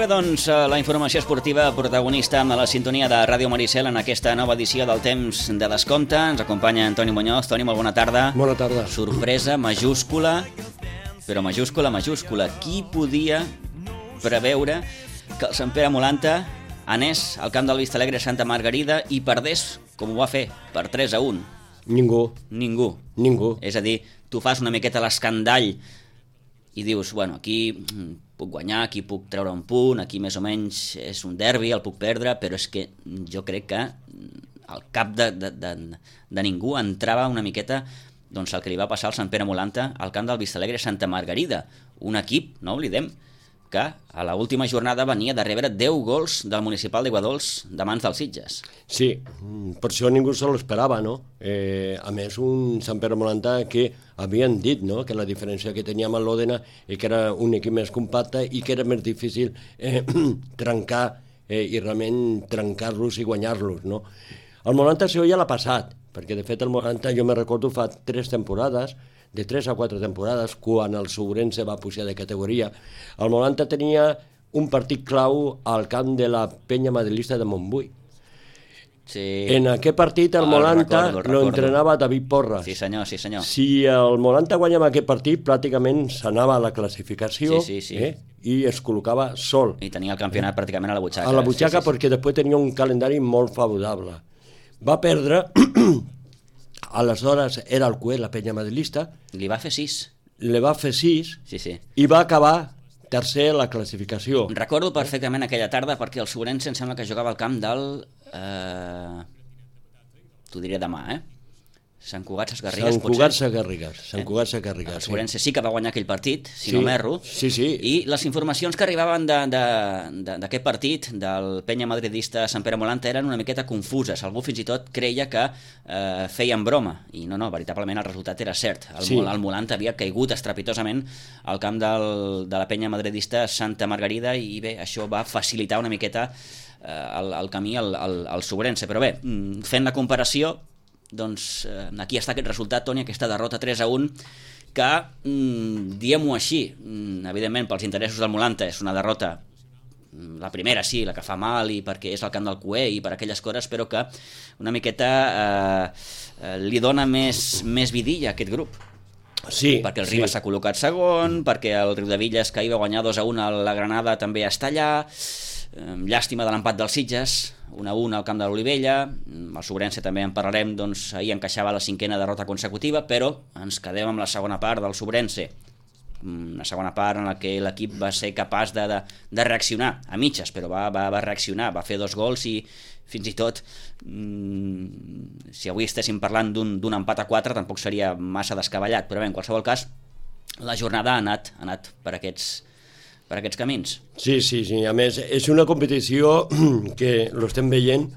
bé, doncs, la informació esportiva protagonista amb la sintonia de Ràdio Maricel en aquesta nova edició del Temps de Descompte. Ens acompanya Antoni Muñoz. Toni, molt bona tarda. Bona tarda. Sorpresa majúscula, però majúscula. Qui podia preveure que el Sant Pere Molanta anés al camp del Vistalegre Santa Margarida i perdés, com ho va fer, per 3-1? Ningú. És a dir, tu fas una miqueta l'escandall i dius, bueno, aquí puc guanyar, aquí puc treure un punt, aquí més o menys és un derbi, el puc perdre, però és que jo crec que al cap de ningú entrava una miqueta doncs el que li va passar al Sant Pere Molanta al camp del Vistalegre Santa Margarida, un equip, no oblidem, que a l'última jornada venia de rebre 10 gols del Municipal d'Iguadols de mans dels Sitges. Sí, per això ningú se l'esperava, no? A més, un Sant Pere Molanta que havien dit, no?, que la diferència que tenia amb l'Òdena és que era un equip més compacte i que era més difícil trencar i realment trencar-los i guanyar-los, no? El Molanta això ja l'ha passat, perquè de fet el Molanta, jo me recordo fa 3 temporades, de 3 a 4 temporades, quan el Sobrense va pujar de categoria, el Molanta tenia un partit clau al camp de la penya madrilista de Montbui. Sí. En aquest partit el Molanta lo entrenava David Porras. Sí senyor. Si el Molanta guanyava aquest partit, pràcticament s'anava a la classificació. Sí. I es col·locava sol. I tenia el campionat pràcticament a la butxaca. A la butxaca, sí. Perquè després tenia un calendari molt favorable. Va perdre... Aleshores era el cué, la penya madrilista. Li va fer 6. Le va fer 6 Sí. I va acabar tercer a la classificació. Recordo perfectament aquella tarda perquè el Sobrense em sembla que jugava al camp del... T'ho diré demà, Sant Cugat Sesgarrigues, Sant Cugat Sesgarrigues. El Sobrense sí que va guanyar aquell partit, si no m'erro. Sí. I les informacions que arribaven d'aquest partit, del penya madridista Sant Pere Molanta, eren una miqueta confuses. Algú fins i tot creia que feien broma. I no, veritablement el resultat era cert. El Molanta havia caigut estrepitosament al camp de la penya madridista Santa Margarida i bé, això va facilitar una miqueta el camí al Sobrense. Però bé, fent la comparació, doncs aquí està aquest resultat, Toni, aquesta derrota 3-1 que, diguem-ho així, evidentment pels interessos del Molanta és una derrota, la primera sí, la que fa mal i perquè és el camp del cué i per aquelles coses, però que una miqueta li dona més vidilla a aquest grup. Sí, perquè el Ribas s'ha col·locat segon, perquè el Riudevilles, que hi va guanyar 2-1 a la Granada, també està allà. Llàstima de l'empat dels Sitges, 1-1 al camp de l'Olivella. El Sobrense també en parlarem, doncs ahir encaixava la 5a derrota consecutiva, però ens quedem amb la segona part del Sobrense, una segona part en la que l'equip va ser capaç de reaccionar, a mitges, però va reaccionar, va fer 2 gols i fins i tot si avui estéssim parlant d'un empat a 4 tampoc seria massa descabellat, però bé, en qualsevol cas la jornada ha anat per aquests camins. Sí, a més és una competició que l'estem veient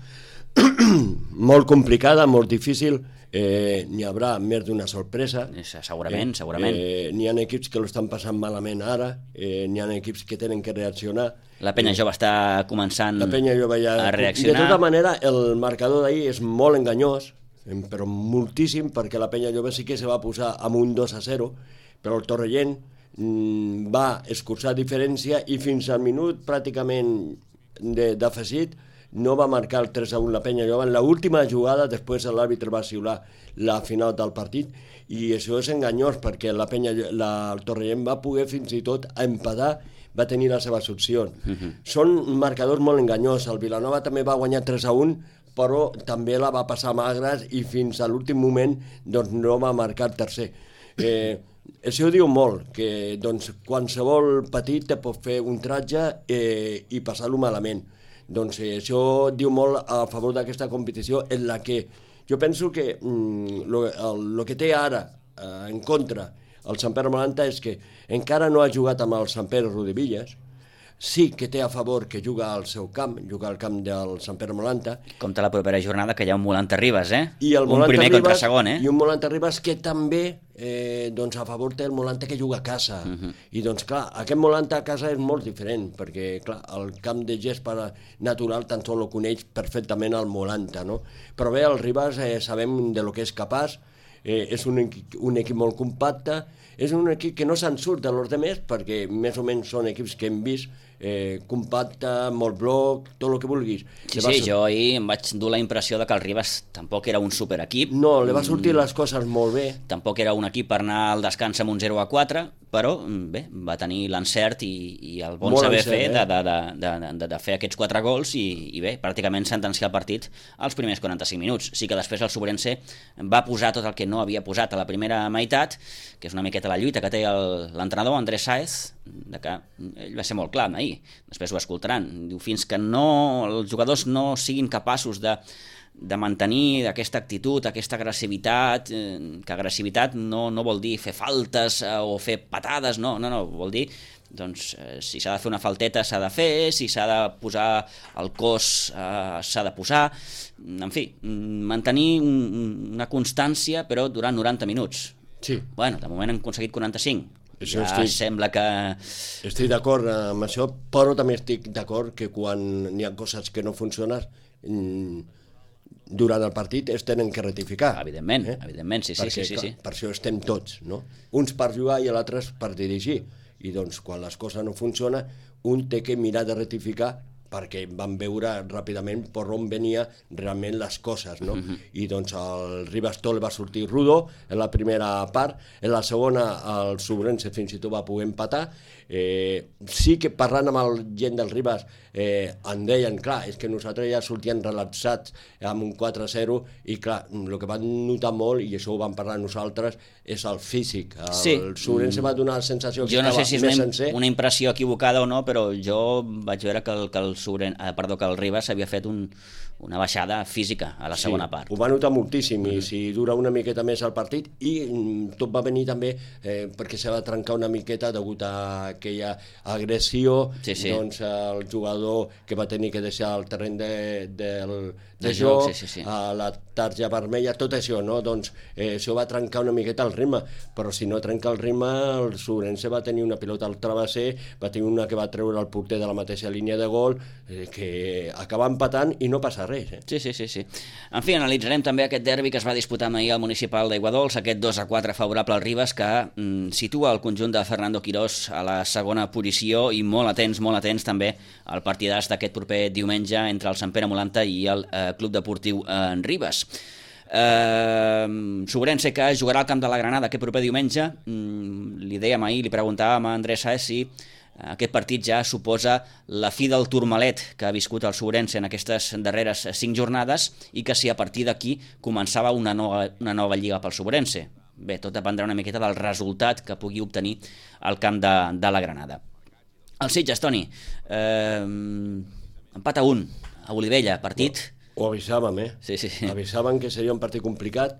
molt complicada, molt difícil. N'hi haurà més d'una sorpresa. Segurament. N'hi ha equips que l'estan passant malament ara, n'hi ha equips que tenen que reaccionar. La penya jove està començant a reaccionar. De tota manera, el marcador d'ahir és molt enganyós, però moltíssim, perquè la penya jove sí que se va posar amb un 2-0, però el Torrellent va escurçar diferència i fins al minut pràcticament d'afegit no va marcar el 3-1 la penya jove. En l'última jugada després l'àrbitre va xiular la final del partit i això és enganyós perquè el Torrellent va poder fins i tot empatar, va tenir les seves opcions. Són marcadors molt enganyós. El Vilanova també va guanyar 3-1, però també la va passar magres i fins a l'últim moment doncs, no va marcar el tercer. Això diu molt, que doncs, qualsevol petit te pot fer un tratge i passar-lo malament. Doncs això diu molt a favor d'aquesta competició en la que jo penso que el que té ara en contra el Sant Pere Molanta és que encara no ha jugat amb el Sant Pere Riudevilles. Sí que té a favor que juga al seu camp, juga al camp del Sant Pere Molanta. Compte la propera jornada que hi ha un Molanta Ribas, I el un primer Ribas, contra segon, I un Molanta Ribas que també doncs a favor té el Molanta que juga a casa. I doncs clar, aquest Molanta a casa és molt diferent, perquè clar, el camp de gespa natural tan sols ho coneix perfectament el Molanta, no? Però bé, el Ribas sabem de lo que és capaç, és un equip molt compacte, és un equip que no se'n surt de los demés, perquè més o menys són equips que hem vist compacte, molt bloc, tot el que vulguis. Sí, jo ahir em vaig dur la impressió de que el Ribas tampoc era un superequip. No, li va sortir les coses molt bé. Tampoc era un equip per anar al descans amb un 0-4, però bé, va tenir l'encert i el bon saber fer de fer aquests 4 gols i bé, pràcticament sentenciar el partit als primers 45 minuts. Sí que després el Sobrense va posar tot el que no havia posat a la primera meitat, que és una miqueta la lluita que té l'entrenador Andrés Sáez, de que ell va ser molt clar ahir, després ho escoltaran, diu, fins que els jugadors no siguin capaços de mantenir aquesta actitud, aquesta agressivitat, que agressivitat no vol dir fer faltes o fer patades, no, vol dir, doncs, si s'ha de fer una falteta s'ha de fer, si s'ha de posar el cos s'ha de posar, en fi, mantenir una constància però durant 90 minuts. Sí. Bueno, de moment han aconseguit 45. Sembla que... Estic d'acord amb això, però també estic d'acord que quan n'hi ha coses que no funcionen durant el partit es tenen que rectificar. Evidentment, sí. Per això estem tots, no? Uns per jugar i l'altre per dirigir. I doncs quan les coses no funcionen, un té que mirar de rectificar perquè van veure ràpidament per on venia realment les coses, no? I doncs el Ribas Tol va sortir rudo en la primera part, en la segona el Sobrense fins i tot va poder empatar. Sí que parlant amb el gent del Ribas en deien, clar, és que nosaltres ja sortíem relaxats amb un 4-0 i clar, el que van notar molt, i això ho vam parlar nosaltres, és el físic. El Sobrense va donar la sensació que jo no estava sé si és una impressió equivocada o no, però jo vaig veure que el Ribas havia fet una baixada física a la segona part. Ho va notar moltíssim i si dura una miqueta més el partit i tot va venir també perquè se va trencar una miqueta degut a aquella agressió, doncs el jugador que va tenir que deixar el terreny de joc, a la tarja vermella, tot això, no? Doncs això va trencar una miqueta el ritme, però si no trenca el ritme, el Sobrense va tenir una pilota al travesser, va tenir una que va treure el porter de la mateixa línia de gol, que acaba empatant i no passa res. Sí. En fi, analitzarem també aquest derbi que es va disputar ahir al municipal d'Aiguadols, aquest 2-4 favorable al Ribas, que situa el conjunt de Fernando Quirós a la segona posició i molt atents també al partidàs d'aquest proper diumenge entre el Sant Pere Molanta i el Club Deportiu en Ribas. Sobrense que jugarà al camp de la Granada aquest proper diumenge. Li dèiem ahir, li preguntàvem a Andrés Saez si aquest partit ja suposa la fi del turmalet que ha viscut el Sobrense en aquestes darreres 5 jornades i que si a partir d'aquí començava una nova lliga pel Sobrense. Bé, tot dependrà una miqueta del resultat que pugui obtenir al camp de la Granada. El Sitges, Toni, empat a 1 a Olivella, partit... Ho avisàvem, Sí. Avisàvem que seria un partit complicat.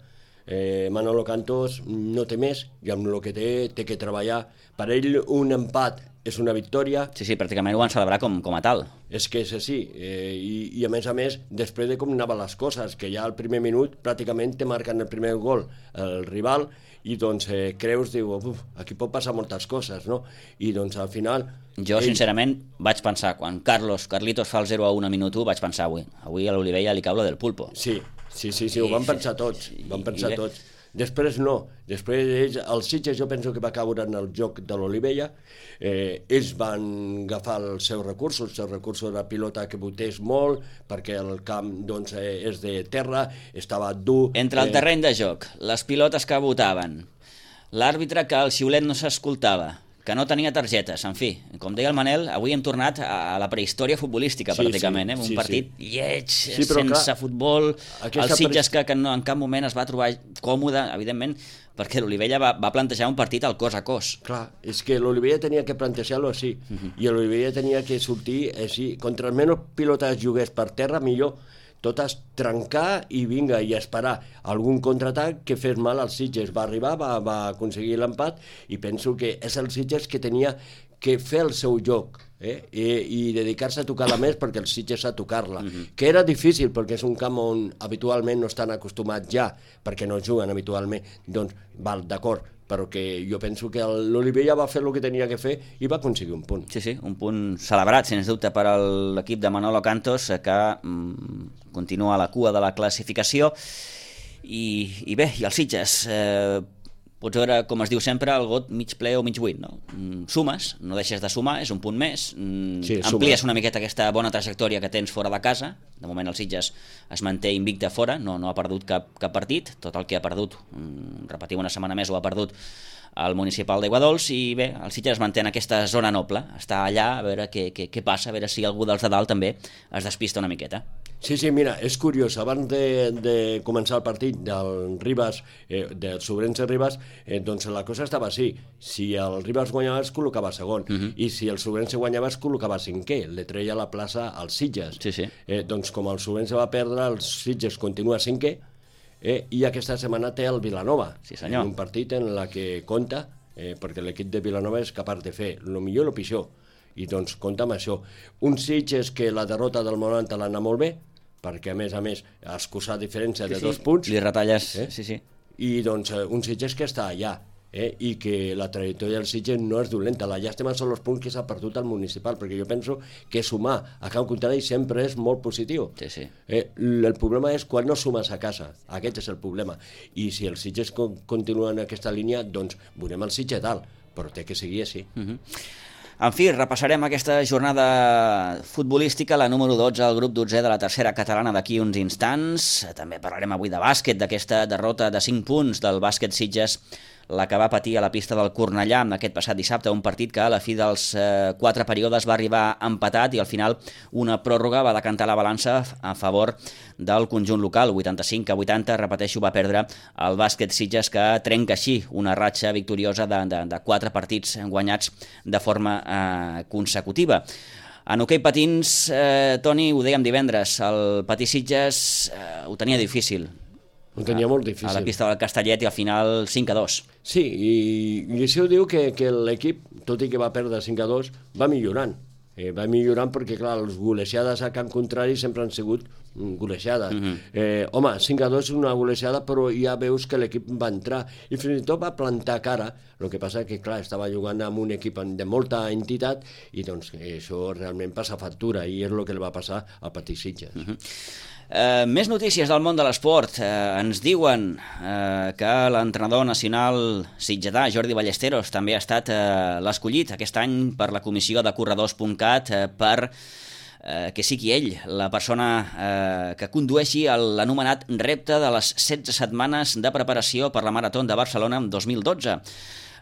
Manolo Cantos no té més i amb el que té que treballar. Per ell un empat és una victòria. Sí, pràcticament ho van celebrar com a tal. És que és així, i a més, després de com anaven les coses, que ja al primer minut pràcticament te marquen el primer gol el rival, i doncs creus, diu, aquí pot passar moltes coses, no? I doncs al final... Jo, sincerament, vaig pensar, quan Carlitos fa el 0-1 a minut 1, vaig pensar, avui a l'Olivella li cau lo del pulpo. Sí, ho van pensar tots, tots. Després no, després el Sitges jo penso que va caure en el joc de l'Olivella, ells van agafar els seus recursos de pilota que botés molt, perquè el camp doncs, és de terra, estava dur... Entre el terreny de joc, les pilotes que botaven, l'àrbitre que el xiulet no s'escoltava, que no tenia targetes, en fi, com deia el Manel, avui hem tornat a la prehistòria futbolística, pràcticament, un partit lleig, sense futbol, el Sitges que en cap moment es va trobar còmode, evidentment, perquè l'Olivella va plantejar un partit al cos a cos. Clar, és que l'Olivella tenia que plantejar-lo així, i l'Olivella tenia que sortir així, contra menys pilotes jugués per terra, millor, totes trencar i vinga, i esperar algun contraatac que fes mal als Sitges. Va arribar, va aconseguir l'empat, i penso que és el Sitges que tenia que fer el seu joc i dedicar-se a tocar-la més, perquè el Sitges a tocar-la, que era difícil perquè és un camp on habitualment no estan acostumats ja, perquè no juguen habitualment, doncs val, d'acord, però que jo penso que l'Olivella va fer el que tenia que fer i va aconseguir un punt. Sí, un punt celebrat, sens dubte, per a l'equip de Manolo Cantos, que continua a la cua de la classificació, i bé, i el Sitges pots veure, com es diu sempre, el got mig ple o mig buit, no? Sumes, no deixes de sumar, és un punt més, amplies una miqueta aquesta bona trajectòria que tens fora de casa. De moment el Sitges es manté invicte fora, no ha perdut cap partit, tot el que ha perdut, repetim una setmana més, ho ha perdut al municipal d'Aiguadols, i bé, el Sitges es manté en aquesta zona noble, està allà a veure què passa, a veure si algú dels de dalt també es despista una miqueta. Sí, mira, és curiós, abans de començar el partit del Ribas, del Sobrense Ribas, doncs la cosa estava així: si el Ribas guanyava es col·locava segon, i si el Sobrense guanyava es col·locava cinquè, le treia la plaça als Sitges. Doncs com el Sobrense va perdre, el Sitges continua cinquè, i aquesta setmana té el Vilanova, un partit en la que compta, perquè l'equip de Vilanova és capaç de fer el millor i el pitjor, i doncs compta amb això. Un Sitges que la derrota del Moranta l'ha anat molt bé, perquè a més ha excusat diferència de 2 punts. Li retalles, sí. I doncs un Sitges que està allà, i que la trajectòria del Sitges no és dolenta. La llàstima són els punts que s'ha perdut al municipal, perquè jo penso que sumar a Camp Contrari sempre és molt positiu. El problema és quan no sumes a casa, aquest és el problema. I si el Sitges continua en aquesta línia, doncs veurem el Sitges dalt, però té que seguir així. En fi, repassarem aquesta jornada futbolística, la número 12 al grup 12 de la tercera catalana d'aquí uns instants. També parlarem avui de bàsquet, d'aquesta derrota de 5 punts del bàsquet Sitges, la que va patir a la pista del Cornellà aquest passat dissabte, un partit que a la fi dels 4 períodes va arribar empatat i al final una pròrroga va decantar la balança a favor del conjunt local. 85-80, repeteixo, va perdre el bàsquet Sitges, que trenca així una ratxa victoriosa de 4 partits guanyats de forma consecutiva. En hoquei patins, Toni, ho dèiem divendres, el Patí Sitges ho tenia difícil. Ho tenia molt difícil. A la pista del Castellet, i al final 5-2. Sí, i això diu que l'equip, tot i que va perdre 5-2, va millorant. Va millorant perquè, clar, les golejades a Camp Contrari sempre han sigut golejades. Home, 5-2 és una golejada, però ja veus que l'equip va entrar i fins i tot va plantar cara. El que passa que, clar, estava jugant amb un equip de molta entitat i doncs això realment passa factura, i és el que li va passar al Patí Sitges. Més notícies del món de l'esport. Ens diuen que l'entrenador nacional sitgetà, Jordi Ballesteros, també ha estat l'escollit aquest any per la comissió de corredors.cat per que sigui ell la persona que condueixi l'anomenat repte de les 16 setmanes de preparació per la Marató de Barcelona en 2012.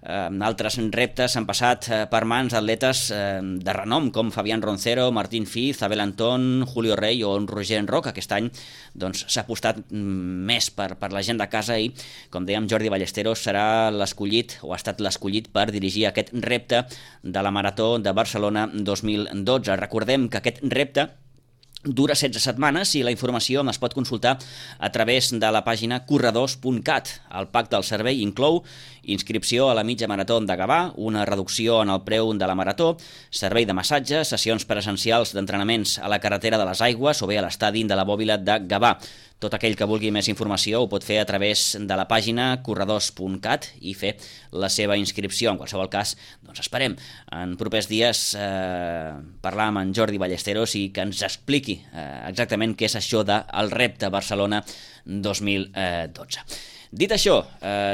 Altres reptes han passat per mans d'atletes de renom com Fabián Roncero, Martín Fiz, Abel Antón, Julio Rey o Roger Enroc. Aquest any s'ha apostat més per la gent de casa i, com dèiem, Jordi Ballesteros serà l'escollit, o ha estat l'escollit, per dirigir aquest repte de la Marató de Barcelona 2012. Recordem que aquest repte dura 16 setmanes i la informació es pot consultar a través de la pàgina corredors.cat. El pacte del servei inclou inscripció a la mitja marató de Gavà, una reducció en el preu de la marató, servei de massatge, sessions presencials d'entrenaments a la carretera de les Aigües o bé a l'estadi de la Bòbila de Gavà. Tot aquell que vulgui més informació ho pot fer a través de la pàgina corredors.cat i fer la seva inscripció. En qualsevol cas, doncs esperem en propers dies parlar amb en Jordi Ballesteros i que ens expliqui exactament què és això del repte Barcelona 2012. Dit això,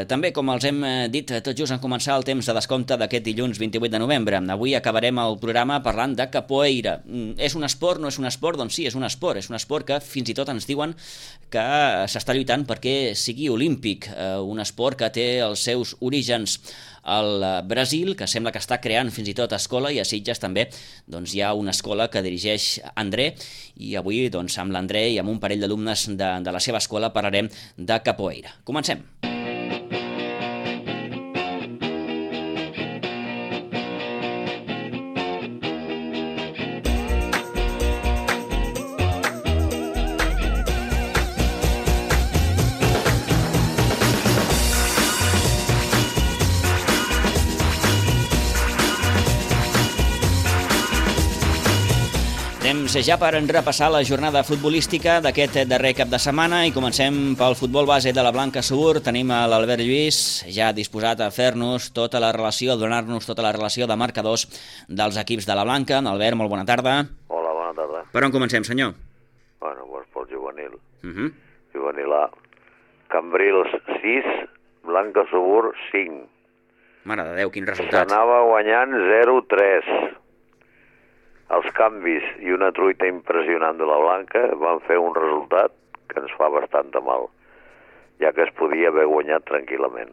també, com els hem dit tot just en començar el temps de descompte d'aquest dilluns 28 de novembre, avui acabarem el programa parlant de capoeira. És un esport, no és un esport? Doncs sí, és un esport que fins i tot ens diuen que s'està lluitant perquè sigui olímpic, un esport que té els seus orígens al Brasil, que sembla que està creant fins i tot escola, i a Sitges també doncs, hi ha una escola que dirigeix André, i avui amb l'André i amb un parell d'alumnes de la seva escola parlarem de capoeira. Comencem. Temps ja per repassar la jornada futbolística d'aquest darrer cap de setmana i comencem pel futbol base de la Blanca Subur. Tenim a l'Albert Lluís ja disposat a fer-nos tota la relació, donar-nos tota la relació de marcadors dels equips de la Blanca. Albert, molt bona tarda. Hola, bona tarda. Per on comencem, senyor? Bueno, doncs pel juvenil. Juvenil A. Cambrils 6, Blanca Subur 5. Mare de Déu, quin resultat. S'anava guanyant 0-3. Els canvis i una truita impressionant de la Blanca van fer un resultat que ens fa bastant de mal, ja que es podia haver guanyat tranquil·lament.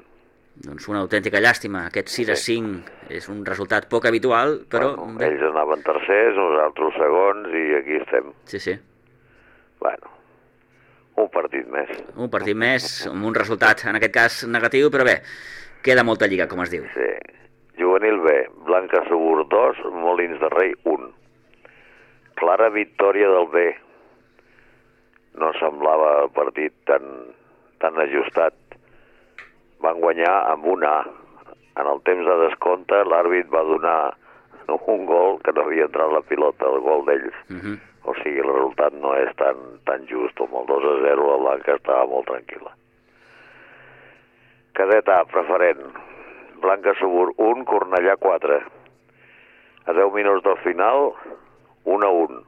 Doncs una autèntica llàstima. Aquest 6-5 és un resultat poc habitual, però... Bueno, ells anaven tercers, nosaltres segons, i aquí estem. Sí. Bueno, un partit més. Un partit més, amb un resultat, en aquest cas, negatiu, però bé, queda molta lliga, com es diu. Sí. Juvenil B, Blanca Subur 2, Molins de Rei 1. Clara victòria del B. No semblava el partit tan ajustat. Van guanyar amb un A. En el temps de descompte, l'àrbit va donar un gol que no havia entrat la pilota, el gol d'ells. O sigui, el resultat no és tan just. Amb el 2-0 la Blanca estava molt tranquil·la. Cadet A, preferent. Blanca Subur 1, Cornellà 4. A 10 minuts del final, 1-1.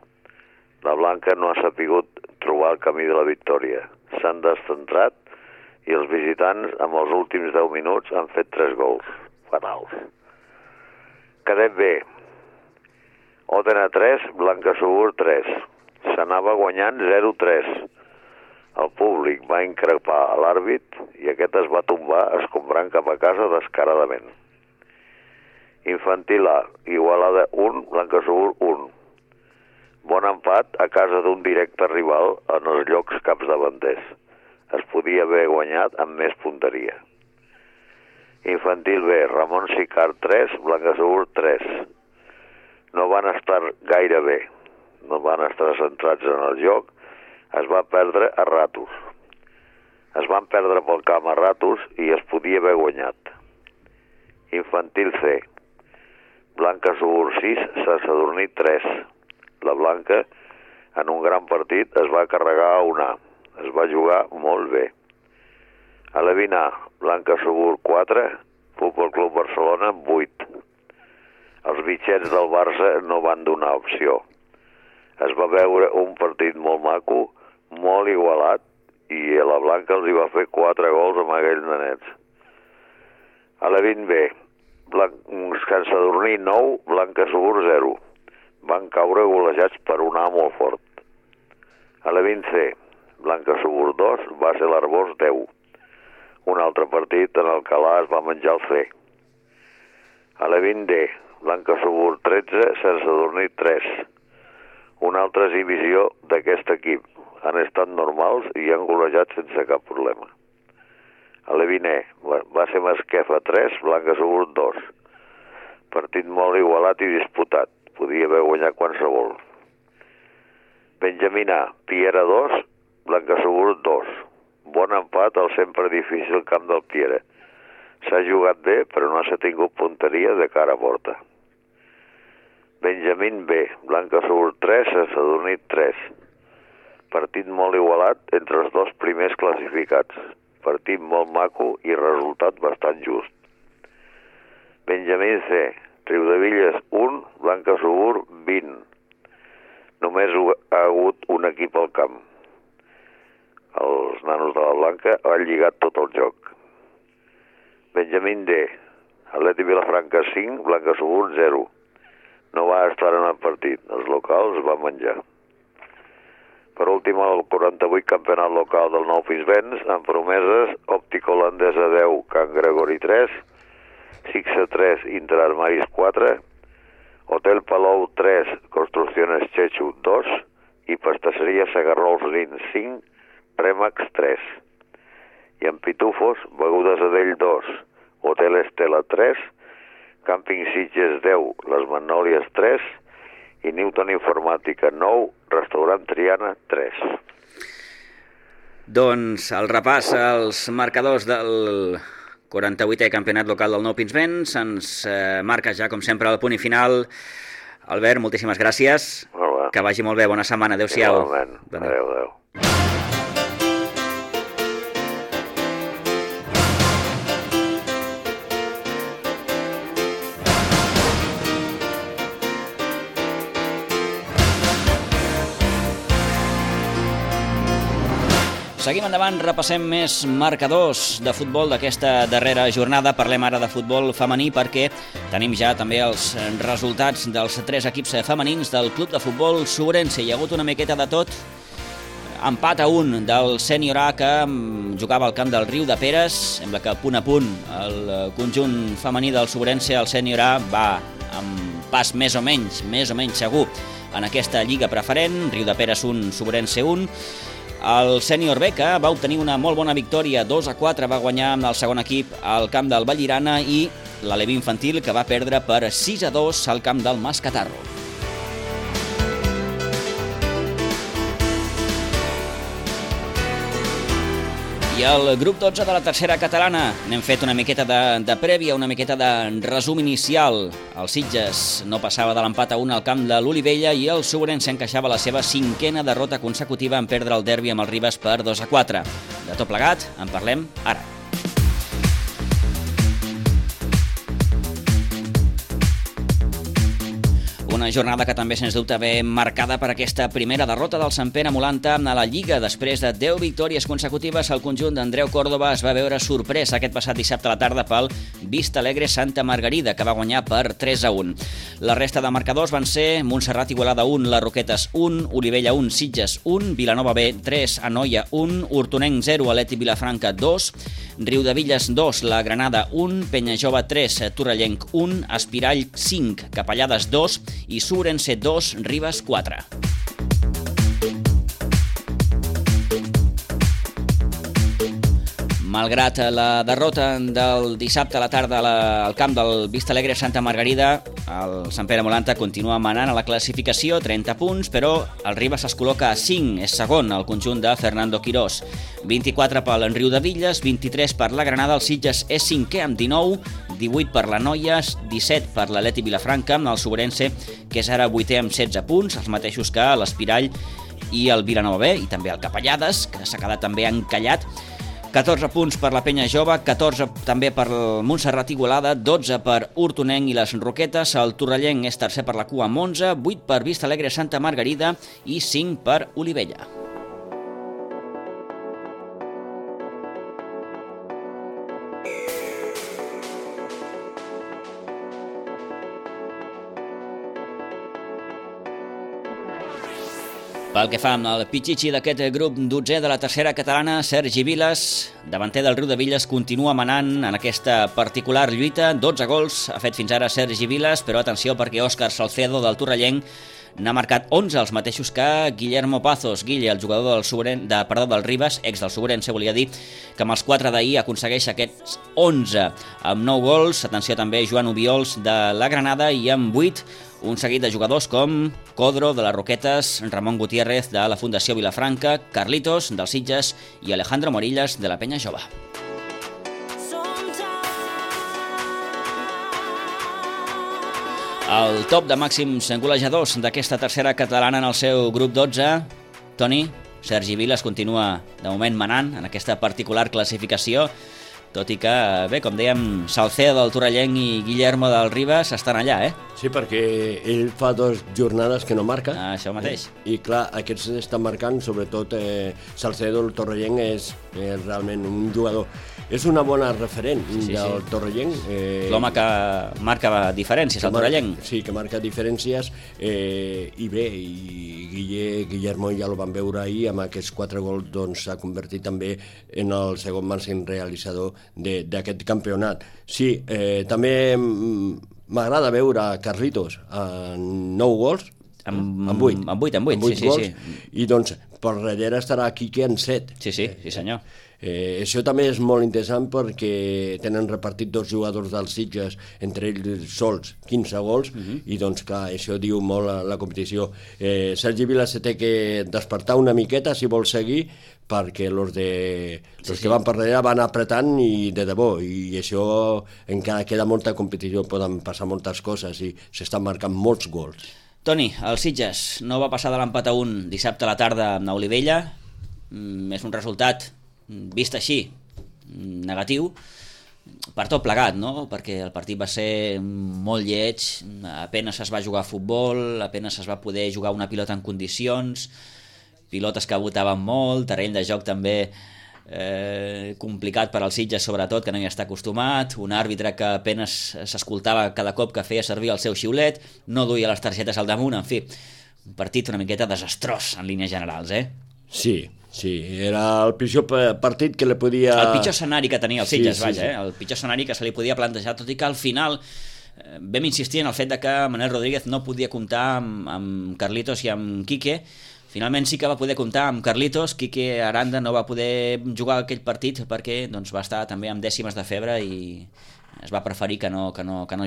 La Blanca no ha sapigut trobar el camí de la victòria. S'han descentrat i els visitants, amb els últims 10 minuts, han fet 3 gols. Fatals. Cadet B. Òdena 3, Blanca Subur 3. S'anava guanyant 0-3. El públic va increpar a l'àrbit i aquest es va tombar escombrant cap a casa descaradament. Infantil A, Igualada 1, Blanca Subur 1. Bon empat a casa d'un directe rival en els llocs capdavanters. Es podia haver guanyat amb més punteria. Infantil B, Ramon Sicart 3, Blanca Subur 3. No van estar gaire bé, no van estar centrats en el joc, es va perdre a ratos. Es van perdre pel camp a ratos i es podia haver guanyat. Infantil C, Blanca Subur 6, Sant Sadurní 3. La Blanca, en un gran partit, es va carregar a un A. Es va jugar molt bé. A la 20A, Blanca Subur 4, Futbol Club Barcelona 8. Els bitxets del Barça no van donar opció. Es va veure un partit molt maco, molt igualat, i a la Blanca els hi va fer 4 gols amb aquells nenets. A la 20B, Sant Sadurní 9, Blanca Subur 0. Van caure golejats per un A molt fort. A la 20C, Blanca Subur 2, va ser l'Arbós 10. Un altre partit en el Calà es va menjar el C. A la 20D, Blanca Subur 13, Sant Sadurní 3. Una altra exhibició d'aquest equip. Han estat normals i han golejat sense cap problema. A la 20E, va ser Masquefa 3, Blanca Subur 2. Partit molt igualat i disputat. Podia haver guanyat qualsevol. Benjamina, Piera 2, Blanca Subur 2. Bon empat al sempre difícil camp del Piera. S'ha jugat bé, però no s'ha tingut punteria de cara a porta. Benjamín B, Blanca Subur 3, Sant Sadurní 3. Partit molt igualat entre els dos primers classificats. Partit molt maco i resultat bastant just. Benjamín C, Riudevilles 1, Blanca Subur 20. Només ha hagut un equip al camp. Els nanos de la Blanca han lligat tot el joc. Benjamín D, Atleti Vilafranca 5, Blanca Subur 0. No va estar en el partit, els locals van menjar. Per últim, el 48 campionat local del Nou Pinsbens, amb promeses, Òptica Holandesa 10, Can Gregori 3, Sixa 3, Interarmaris 4, Hotel Palou 3, Construcciones Chechu 2 i Pastasseria Segarrols Lins 5, Remax 3. I en Pitufos, Begudes Adell 2, Hotel Estela 3, Càmping Sitges 10, Les Magnòlies 3 i Newton Informàtica 9, Restaurant Triana 3. Doncs el repàs als marcadors del 48è campionat local del Nou Pinsbens ens marca ja, com sempre, el punt i final. Albert, moltíssimes gràcies. Que vagi molt bé, bona setmana, adéu-siau. Adéu. Seguim endavant, repassem més marcadors de futbol d'aquesta darrera jornada. Parlem ara de futbol femení perquè tenim ja també els resultats dels 3 equips femenins del club de futbol Sobrense. Hi ha hagut una miqueta de tot. Empat a 1 del sènior A que jugava al camp del Riu de Peres. Sembla que punt a punt el conjunt femení del Sobrense, el sènior A, va amb pas més o menys segur en aquesta lliga preferent. Riu de Peres 1, Sobrense 1. El sènior B, que va obtenir una molt bona victòria, 2-4, va guanyar amb el segon equip al camp del Vallirana, i l'Alevi infantil, que va perdre per 6-2 al camp del Mascatarro. I el grup 12 de la tercera catalana, n'hem fet una miqueta de prèvia, una miqueta de resum inicial. El Sitges no passava de l'empat a 1 al camp de l'Olivella i el Sobrense encaixava la seva 5a derrota consecutiva en perdre el derbi amb el Ribes per 2-4. De tot plegat, en parlem ara. Una jornada que també, sens dubte, ve marcada per aquesta primera derrota del Sant Pere Molanta a la Lliga. Després de 10 victòries consecutives, el conjunt d'Andreu Córdoba es va veure sorprès aquest passat dissabte a la tarda pel Vista Alegre Santa Margarida, que va guanyar per 3-1. La resta de marcadors van ser Montserrat Igualada 1, Les Roquetes 1, Olivella 1, Sitges 1, Vilanova B 3, Anoia 1, Hortonenc 0, Aleti Vilafranca 2, Riudevilles 2, La Granada 1, Penyajove 3, Torrellenc 1, Espirall 5, Capellades 2 i Sobrense 2, Ribes 4. Malgrat la derrota del dissabte a la tarda al camp del Vista Alegre Santa Margarida, el Sant Pere Molanta continua manant a la classificació, 30 punts, però el Ribes es col·loca a 5, és segon el conjunt de Fernando Quirós. 24 per l'Enriudevilles, 23 per la Granada, el Sitges és 5è amb 19, 18 per la Noia, 17 per l'Aleti Vilafranca, el Sobrense, que és ara 8è amb 16 punts, els mateixos que l'Espirall i el Vilanova B, i també el Capellades, que s'ha quedat també encallat. 14 punts per la Penya Jove, 14 també per el Montserrat Igualada, 12 per Hortonenc i les Roquetes, el Torrellenc és tercer per la cua amb 11, 8 per Vista Alegre Santa Margarida i 5 per Olivella. Pel que fa amb el pitxitxi d'aquest grup 12è de la tercera catalana, Sergi Vilas, davanter del Riudevilles, continua manant en aquesta particular lluita. 12 gols ha fet fins ara Sergi Vilas, però atenció perquè Òscar Salcedo del Torrellenc n'ha marcat 11, els mateixos que Guillermo Pazos. Guille, el jugador del Ribes, ex del Sobrense, volia dir, que amb els 4 d'ahir aconsegueix aquests 11 amb 9 gols. Atenció també Joan Obiols de la Granada, i amb 8 un seguit de jugadors com Codro de les Roquetes, Ramon Gutiérrez de la Fundació Vilafranca, Carlitos dels Sitges i Alejandro Morillas de la Penya Jove. El top de màxims golejadors d'aquesta tercera catalana en el seu grup 12, Toni, Sergi Vilas continua de moment manant en aquesta particular classificació, tot i que, bé, com dèiem, Salcedo del Torrellenc i Guillermo del Ribes estan allà, eh? Sí, perquè ell fa 2 jornades que no marca. Això mateix. I clar, aquests estan marcant, sobretot Salcedo del Torrellenc és realment un jugador. És una bona referent del Torrellenc. L'home que marca diferències, el Torrellenc. Sí, que marca diferències. I bé, Guillermo ja ho van veure ahir, amb aquests 4 gols doncs s'ha convertit també en el segon màxim realitzador d'aquest campionat. Sí, també m'agrada veure Carlitos amb 9 gols, amb 8. Amb 8, sí. I doncs per darrere estarà Quique amb 7. Sí, senyor. Això també és molt interessant perquè tenen repartit 2 jugadors dels Sitges, entre ells sols 15 gols, i doncs clar, això diu molt la competició. Sergi Vilas se té que despertar una miqueta si vol seguir, perquè els que van per darrere van apretant i de debò, i això encara queda molta competició, poden passar moltes coses i s'estan marcant molts gols. Toni, el Sitges no va passar de l'empat a 1 dissabte a la tarda amb Olivella. És un resultat, vist així, negatiu per tot plegat, no? Perquè el partit va ser molt lleig, apenas es va jugar a futbol, apenas es va poder jugar una pilota en condicions, pilotes que botaven molt, terreny de joc també complicat per als Sitges, sobretot, que no hi està acostumat, un àrbitre que apenas s'escoltava cada cop que feia servir el seu xiulet, no duia les targetes al damunt, en fi, un partit una miqueta desastrós en línies generals, Sí, era el pitjor partit que li podia... El pitjor escenari que tenia el Sitges, el pitjor escenari que se li podia plantejar, tot i que al final vam insistir en el fet de que Manel Rodríguez no podia comptar amb Carlitos i amb Quique. Finalment sí que va poder comptar amb Carlitos. Quique Aranda no va poder jugar aquell partit perquè doncs, va estar també amb dècimes de febre i es va preferir que no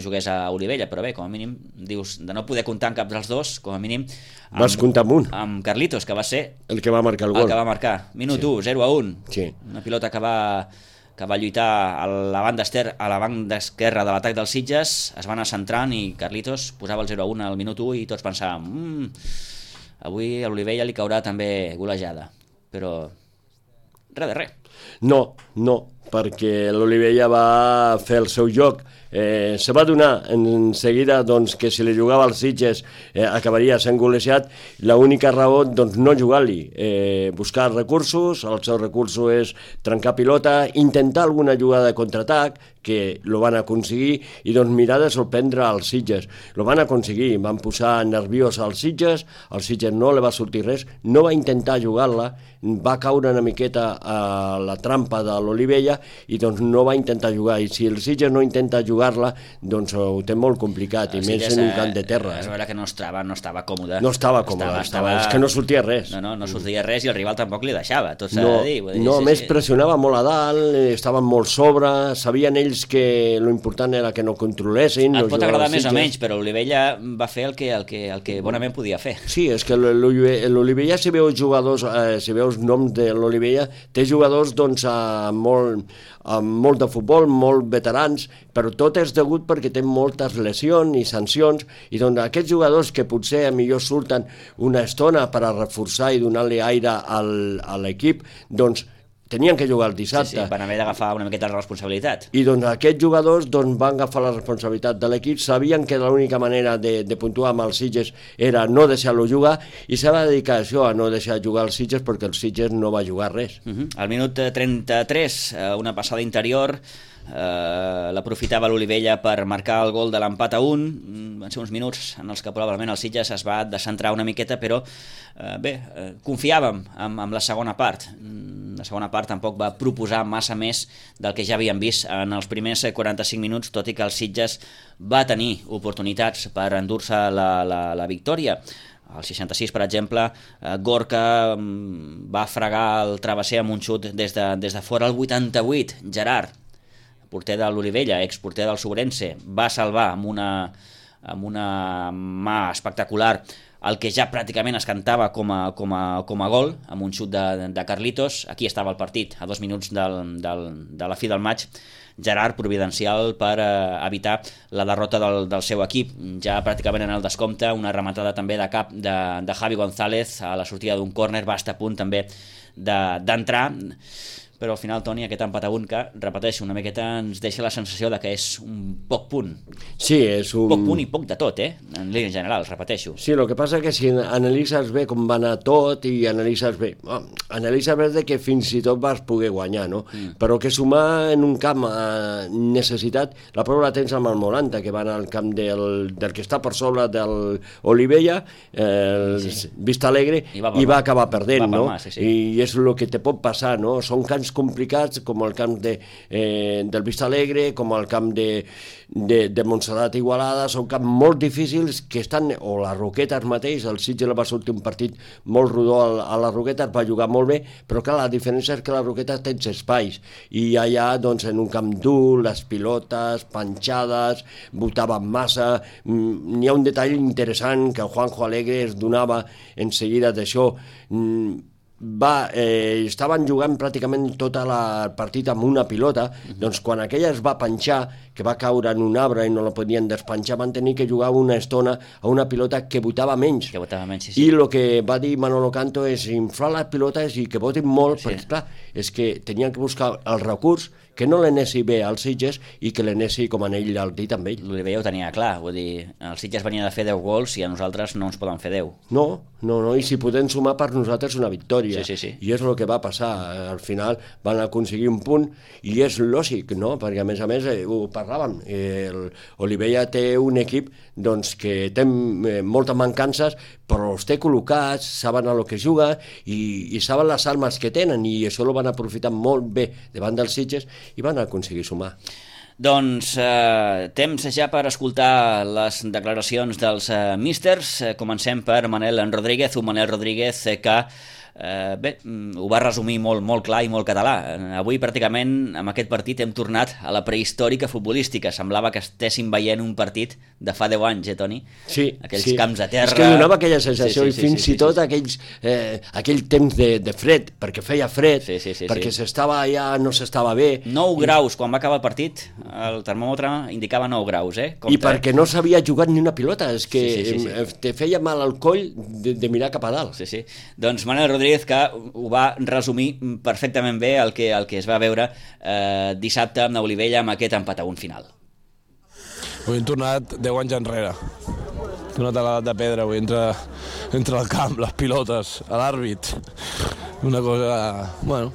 jugués a Olivella, però bé, com a mínim dius, de no poder comptar amb cap dels dos, com a mínim vas comptar amb un, amb Carlitos, que va ser el que va marcar el gol, que va marcar, minut 1, 0-1, una pilota que va lluitar a la banda esquerra de l'atac dels Sitges, es va anar centrant i Carlitos posava el 0-1 al minut 1 i tots pensàvem avui a l'Olivella li caurà també golejada, però res de res. No, perquè l'Olivella va fer el seu joc. Se va donar en seguida doncs, que si li jugava als Sitges acabaria sent golejat. L'única raó, doncs, no jugar-li, buscar recursos. El seu recurso és trencar pilota, intentar alguna jugada de contraatac, que lo van aconseguir, i doncs mirar de sorprendre als Sitges. Lo van aconseguir, van posar nerviós als Sitges no li va sortir res, no va intentar jugar-la, va caure una miqueta a la trampa de l'Olivella i doncs no va intentar jugar, i si el Sitges no intenta jugar-la, doncs ho té molt complicat, i més en un camp de terra. És vera que no estava còmode. No estava còmode, és que no sortia res. No sortia res i el rival tampoc li deixava, tot s'ha de dir. No, a més pressionava molt a dalt, estaven molt sobre, sabien ells que l'important era que no controlessin. Et pot agradar més o menys, però l'Olivella va fer el que bonament podia fer. Sí, és que l'Olivella, si veus jugadors, si veus noms de l'Olivella, té jugadors doncs amb molt de futbol, molt veterans, però tot és degut perquè té moltes lesions i sancions, i doncs aquests jugadors que potser millor surten una estona per a reforçar i donar-li aire a l'equip, doncs tenien que jugar el dissabte. Sí, van haver d'agafar una miqueta la responsabilitat. I doncs aquests jugadors van agafar la responsabilitat de l'equip, sabien que l'única manera de puntuar amb els Sitges era no deixar-lo jugar, i se va dedicar a això, a no deixar jugar els Sitges, perquè el Sitges no va jugar res. Al minut 33, una passada interior, l'aprofitava l'Olivella per marcar el gol de l'empat a 1. Van ser uns minuts en els que probablement el Sitges es va descentrar una miqueta, però confiàvem en la segona part. La segona part tampoc va proposar massa més del que ja havíem vist en els primers 45 minuts, tot i que el Sitges va tenir oportunitats per endur-se la victòria. Al 66, per exemple, Gorka va fregar el travesser amb un xut des de fora. Al 88, Gerard, porter de l'Olivella, exporter del Sobrense, va salvar amb una mà espectacular el que ja pràcticament es cantava com a gol, amb un xut de Carlitos. Aquí estava el partit, a 2 minuts de la fi del maig. Gerard, providencial per evitar la derrota del seu equip. Ja pràcticament en el descompte, una rematada també de cap de Javi González a la sortida d'un córner, va estar a punt també d'entrar, però al final, Toni, aquest empat a 1 que, repeteixo, una miqueta ens deixa la sensació de que és un poc punt. Sí, és un... Poc punt i poc de tot, en línia general, repeteixo. Sí, el que passa és que si analitzes bé com va anar tot i analitzes bé de que fins i tot vas poder guanyar, no? Però que sumar en un camp necessitat, la prova la tens amb el Molanta, que va anar al camp del que està per sobre de l'Olivella, Vista Alegre, i va acabar perdent, no? I és el que te pot passar, no? Són camps complicats, com el camp del Vista Alegre, com el camp de Montserrat Igualada, són camps molt difícils que estan, o les Roquetes mateix, el Sitges va sortir un partit molt rodó a les Roquetes, va jugar molt bé, però clar, la diferència és que les Roquetes tens espais, i allà, doncs, en un camp dur, les pilotes, panxades, botaven massa. N'hi ha un detall interessant que Juanjo Alegre es donava en seguida d'això. estaven jugant pràcticament tot el partit amb una pilota, doncs quan aquella es va penjar, que va caure en un arbre i no la podien despenjar, van tenir que jugar una estona a una pilota que botava menys. Sí. I el que va dir Manolo Canto és inflar les pilotes i que votin molt, perquè clar, és que tenien que buscar el recurs que no l'anessi bé als Sitges i que l'anessi com en ell el dit amb ell. L'Oliver ja ho tenia clar, vull dir, els Sitges venia de fer 10 gols i a nosaltres no ens poden fer 10. No, i si podem sumar per nosaltres una victòria. Sí. I és el que va passar. Al final van aconseguir un punt i és lògic, no? Perquè a més ho parlàvem, l'Oliver té un equip doncs, que té moltes mancances, però els té col·locats, saben a lo que juga i saben les armes que tenen, i això ho van aprofitar molt bé davant dels Sitges i van aconseguir sumar. Doncs temps ja per escoltar les declaracions dels místers. Comencem per Manel Rodríguez, un Manel Rodríguez que ho va resumir molt clar i molt català. Avui pràcticament amb aquest partit hem tornat a la prehistòrica futbolística. Semblava que estéssim veient un partit de fa 10 anys, Toni? Sí. Aquells camps de terra... És que donava aquella sensació, i fins i tot aquell temps de fred, perquè feia fred, perquè s'estava allà, no s'estava bé. 9 graus, quan va acabar el partit, el termòmetre indicava 9 graus, I perquè no s'havia jugat ni una pilota, és que te feia mal al coll de mirar cap a dalt. Sí. Doncs Manel Rodríguez, que ho va resumir perfectament bé el que es va veure dissabte amb Olivella amb aquest empat a 1 final. Avui hem tornat 10 anys enrere. Hem tornat a l'edat de pedra, avui entre el camp, les pilotes, l'àrbit. Una cosa... Bueno...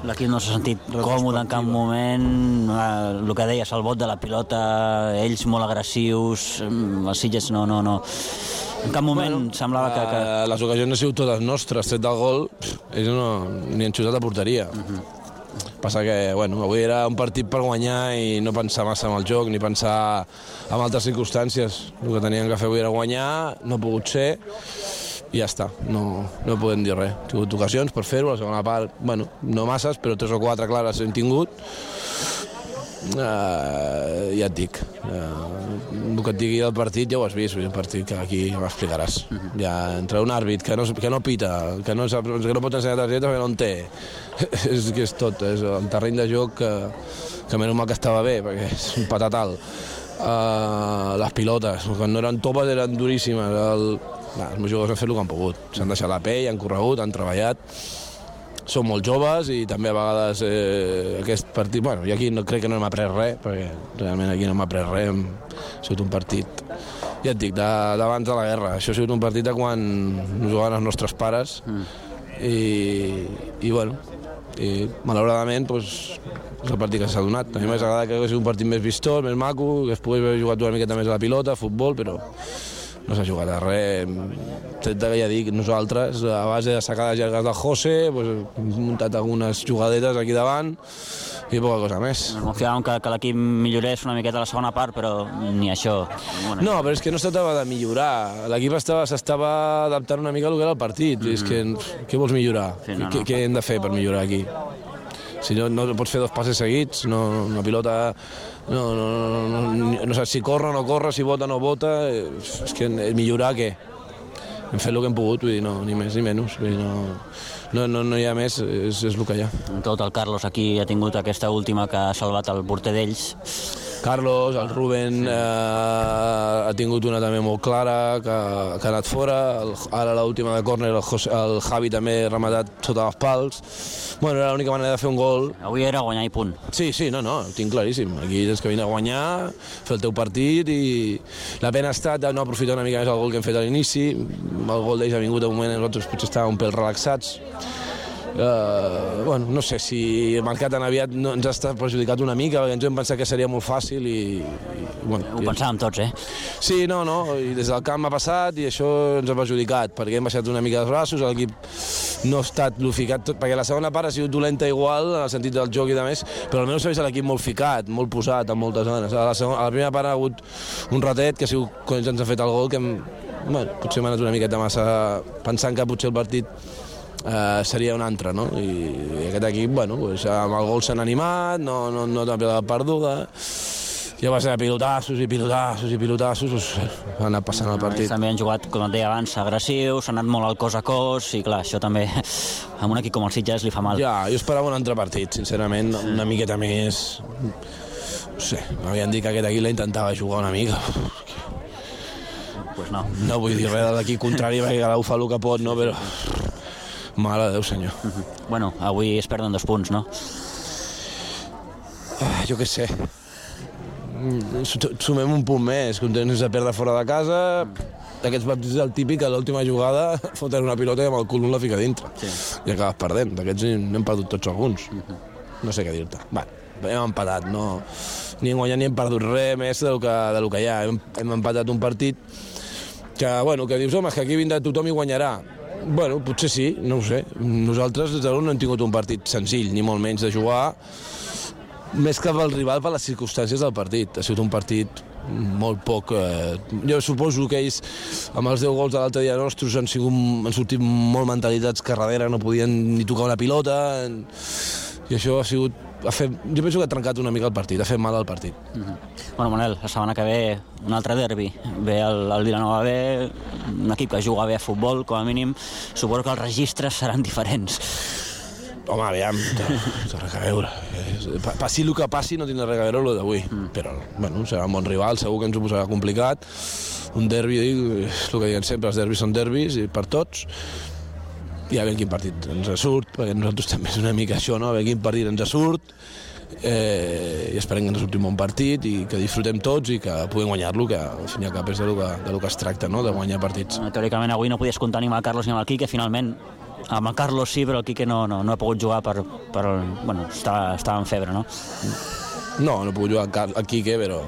L'equip no s'ha sentit còmode en cap moment, el que deies, el bot de la pilota, ells molt agressius, els Sitges no. En cap moment semblava que... Les ocasions han sigut totes nostres, tret del gol, ells ni han xutat a porteria. Passa que, avui era un partit per guanyar i no pensar massa en el joc, ni pensar en altres circumstàncies. El que teníem que fer avui era guanyar, no ha pogut ser, i ja està, no podem dir res. Hem tingut ocasions per fer-ho, la segona part, no masses, però 3 o 4 clares hem tingut. Ja et dic, el que et digui del partit ja ho has vist, un partit que aquí m'explicaràs. Ja entre un àrbit que no pita, que no pot ensenyar targeta perquè no en té, és que és tot, és el terreny de joc que menys mal que estava bé, perquè és un patatal. Les pilotes, quan no eren topes eren duríssimes, els meus jugadors han fet el que han pogut, s'han deixat la pell, han corregut, han treballat. Són molt joves i també a vegades aquest partit... I aquí crec que no hem après res, perquè realment aquí no hem après res, ha sigut un partit, ja et dic, d'abans de la guerra. Això ha sigut un partit de quan jugaven els nostres pares i malauradament és el partit que s'ha donat. A mi m'hagués agradat que hagués sigut un partit més vistós, més maco, que es pogués haver jugat una miqueta més a la pilota, a futbol, però no s'ha jugat a res. Tret que ja dic, nosaltres, a base de sacades llargues del José, hem muntat algunes jugadetes aquí davant i poca cosa més. Confiàvem que l'equip millorés una miqueta a la segona part, però ni això. No, però és que no es tractava de millorar. L'equip s'estava adaptant una mica al que era el partit. És que, què vols millorar? Què hem de fer per millorar aquí? Si no pots fer 2 passes seguits, una pilota no saps si corre o no corre, si vota o no vota, és que millorar què? Hem fet el que hem pogut, vull dir, ni més ni menys, vull dir, no hi ha més, és el que hi ha. Tot el Carlos aquí ha tingut aquesta última que ha salvat el porter d'ells. Carlos, el Rubén ha tingut una també molt clara, que ha anat fora, ara l'última de córner el Javi també ha rematat sota els pals. Era l'única manera de fer un gol. Avui era guanyar i punt. Sí, ho tinc claríssim. Aquí tens que venir a guanyar, fer el teu partit i la pena ha estat de no aprofitar una mica més el gol que hem fet a l'inici. El gol d'ells ha vingut a un moment en nosaltres potser estàvem un pèl relaxats. No sé si el mercat tan aviat ens ha perjudicat una mica, perquè ens hem pensat que seria molt fàcil i ho pensàvem tots, Sí, i des del camp ha passat i això ens ha perjudicat, perquè hem baixat una mica els braços, l'equip no ha estat ficat, perquè la segona part ha sigut dolenta igual, en el sentit del joc i de més, però almenys s'ha vist l'equip molt ficat, molt posat en moltes zones. A la primera part ha hagut un ratet, que ha sigut quan ens ha fet el gol, que potser m'ha anat una miqueta massa pensant que potser el partit seria un altre, no? I aquest equip, amb el gol s'han animat, no té la pilota perduda, ja va ser pilotassos, ha anat passant el partit. També han jugat, com et deia abans, agressius, s'ha anat molt al cos a cos, i clar, això també a un equip com el Sitges li fa mal. Ja, jo esperava un altre partit, sincerament, una miqueta més... No sé, m'havien dit que aquest equip la intentava jugar una mica. Pues no. No vull dir res de l'equip contrari, perquè cada un fa el que pot, no? Però... Mare de Déu, senyor. Bueno, avui es perden 2 punts, no? Jo què sé. Sumem un punt més, contents de perdre fora de casa. D'aquests partits el típic, a l'última jugada foten una pilota i amb el cul la fica dintre. Sí. I acabes perdent. D'aquests n'hem perdut tots alguns. No sé què dir-te. Va, hem empatat, no... Ni hem guanyat ni hem perdut res més del que hi ha. Hem empatat un partit que, bueno, que dius, home, és que aquí vindrà tothom i guanyarà. Bueno, potser sí, no ho sé. Nosaltres, des de l'un, no hem tingut un partit senzill, ni molt menys de jugar, més que pel rival, per les circumstàncies del partit. Ha sigut un partit molt poc... Jo suposo que ells, amb els 10 gols de l'altre dia nostres, han sortit molt mentalitats que darrere no podien ni tocar una pilota, i això ha sigut... Jo penso que ha trencat una mica el partit, ha fet mal al partit. Bueno, Manel, la setmana que ve un altre derbi. Ve el Vilanova B, un equip que juga bé a futbol, com a mínim. Suposo que els registres seran diferents. Home, aviam, té res a veure. Passi el que passi, no tindrà res a veure el d'avui. Però, bueno, serà un bon rival, segur que ens ho posarà complicat. Un derbi, és el que diuen sempre, els derbis són derbis, i per tots. I a veure quin partit ens surt, perquè nosaltres també és una mica això, no? A veure quin partit ens surt, i esperem que ens surti un bon partit i que disfrutem tots i que puguem guanyar-lo, que al fin i al cap és del que es tracta, no? De guanyar partits. Teòricament avui no podies comptar ni amb el Carlos ni amb el Quique, finalment amb el Carlos sí, però el Quique no ha pogut jugar bueno, estava en febre, no? No he pogut jugar al Quique, però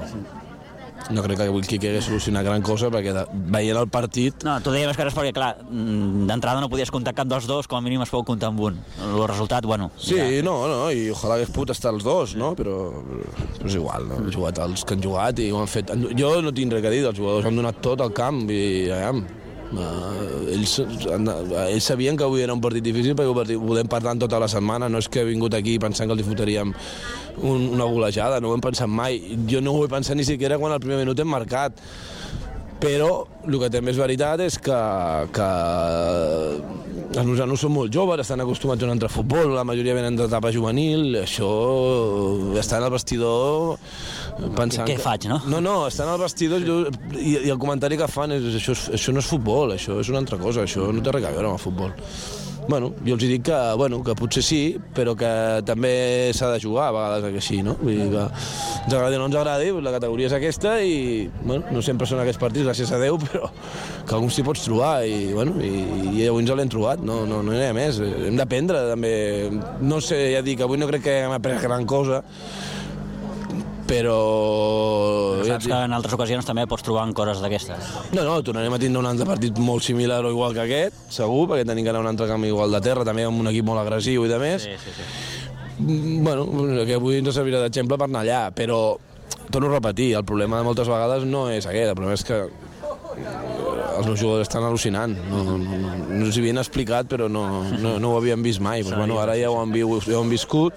no crec que avui el Quique hagués solucionat gran cosa, perquè veient el partit... No, tu deies que és perquè, clar, d'entrada no podies comptar cap dels dos, com a mínim es pot comptar amb un. El resultat, bueno... Sí, ja. No, i ojalà hagués pogut estar els dos, no? Però és igual, no? Han jugat els que han jugat i ho han fet... Jo no tinc res a dir, els jugadors han donat tot al camp i... Ells sabien que avui era un partit difícil perquè ho podem parlar tota la setmana, no és que he vingut aquí pensant que els fotríem una golejada, no ho hem pensat mai, jo no ho he pensat ni siquiera quan al primer minut hem marcat, però el que també és veritat és que els nosanos són molt joves, estan acostumats a un altre futbol, la majoria venen d'etapa juvenil, això estan al vestidor pensant... Què faig, no? No, estan al vestidor i el comentari que fan és això no és futbol, això és una altra cosa, això no té res a veure amb el futbol. Bueno, jo els dic que potser sí, però que també s'ha de jugar a vegades que així, no? Vull dir que ens agradi o no ens agradi, la categoria és aquesta i, bueno, no sempre són aquests partits, gràcies a Déu, però que alguns t'hi pots trobar i, bueno, i avui ens l'hem trobat, no hi ha més. Hem d'aprendre, també. No sé, ja dic, avui no crec que hem après gran cosa, però saps que en altres ocasions també pots trobar en coses d'aquestes. No, tornarem a tindre un altre partit molt similar o igual que aquest, segur, perquè tenim que anar a un altre camp igual de terra, també amb un equip molt agressiu i de més. Sí. Bueno, que avui ens servirà d'exemple per anar allà, però torno a repetir, el problema de moltes vegades no és aquest, el problema és que els meus jugadors estan al·lucinant, no els havien explicat però no ho havien vist mai, però bueno, ara ja ho han viscut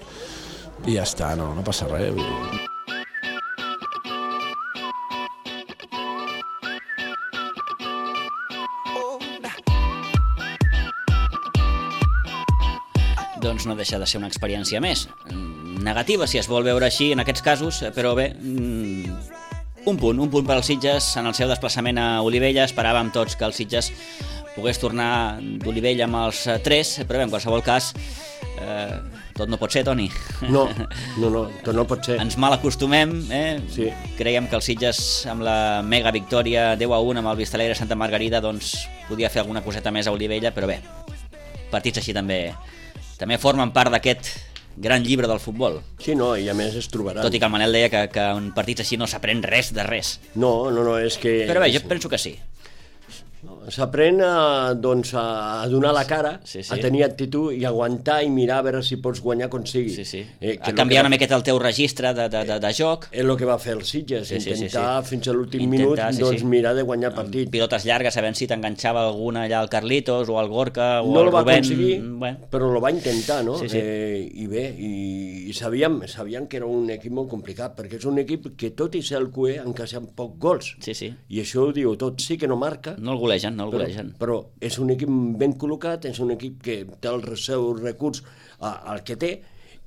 i ja està, no passa res. Doncs no deixa de ser una experiència més. Negativa, si es vol veure així en aquests casos, però bé, un punt per als Sitges en el seu desplaçament a Olivella. Esperàvem tots que el Sitges pogués tornar d'Olivella amb els 3, però bé, en qualsevol cas, tot no pot ser, Toni. No, tot no pot ser. Ens mal acostumem, Sí. Creiem que el Sitges, amb la mega victòria 10-1 amb el Vistalegre Santa Margarida, doncs podia fer alguna coseta més a Olivella, però bé, partits així també formen part d'aquest gran llibre del futbol. Sí, no, i a més es trobaran. Tot i que el Manel deia que en partits així no s'aprèn res de res. No, és que... Però bé, jo penso que sí. s'aprèn a donar la cara, a tenir actitud i aguantar i mirar a veure si pots guanyar com sigui. A canviar una miqueta el teu registre de joc. És el que va fer el Sitges, intentar fins a l'últim minut mirar de guanyar el partit. Pilotes llargues, sabent si t'enganxava alguna allà al Carlitos o al Gorka o no al Rubén. No lo va aconseguir, però lo va intentar, no? I bé, i sabíem que era un equip molt complicat, perquè és un equip que tot i ser el cué encaixen poc gols. I això ho diu tot, sí que no marca. No el golegen. Però és un equip ben col·locat, és un equip que té el seu recurs al que té,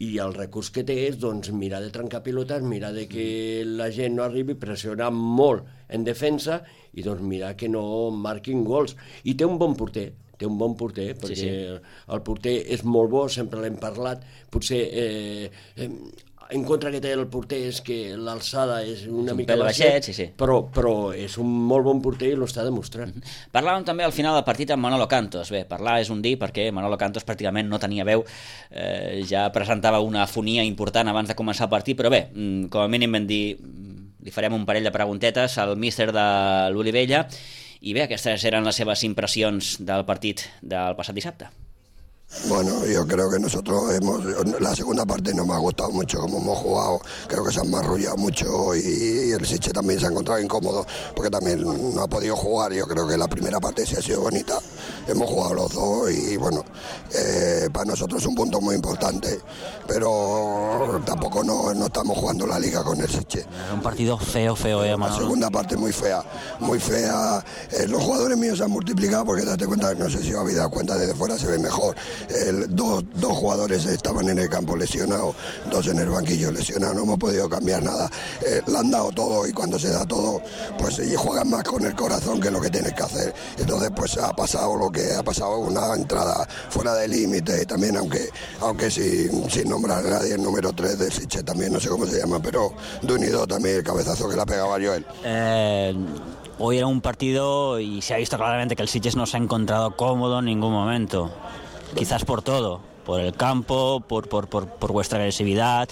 i el recurs que té és mirar de trencar pilotes, mirar de que la gent no arribi, pressionar molt en defensa i mirar que no marquin gols. I té un bon porter, perquè el porter és molt bo, sempre l'hem parlat, potser en contra que té el porter és que l'alçada és una mica baixet, però és un molt bon porter i l'està demostrant. Parlàvem també al final del partit amb Manolo Cantos. Bé, parlar és un dir perquè Manolo Cantos pràcticament no tenia veu, ja presentava una afonia important abans de començar el partit, però bé, com a mínim vam dir, li farem un parell de preguntetes al míster de l'Olivella, i bé, aquestes eren les seves impressions del partit del passat dissabte. Bueno, yo creo que nosotros la segunda parte no me ha gustado mucho como hemos jugado, creo que se han marrullado mucho y el Sitges también se ha encontrado incómodo porque también no ha podido jugar. Yo creo que la primera parte sí ha sido bonita, hemos jugado los dos y bueno, para nosotros es un punto muy importante, pero tampoco no estamos jugando la liga con el Sitges. Un partido feo, Manolo. La segunda parte muy fea, los jugadores míos se han multiplicado porque date cuenta, no sé si os habéis dado cuenta, desde fuera se ve mejor. Dos jugadores estaban en el campo lesionados, 2 en el banquillo lesionados, no hemos podido cambiar nada, le han dado todo y cuando se da todo pues juegan más con el corazón que lo que tienes que hacer. Entonces pues ha pasado lo que ha pasado, una entrada fuera de límite y también aunque sin nombrar a nadie, el número 3 del Sitges también, no sé cómo se llama, pero de unido también el cabezazo que le ha pegado a Joel. Hoy era un partido y se ha visto claramente que el Sitges no se ha encontrado cómodo en ningún momento. Quizás por todo, por el campo, por vuestra agresividad,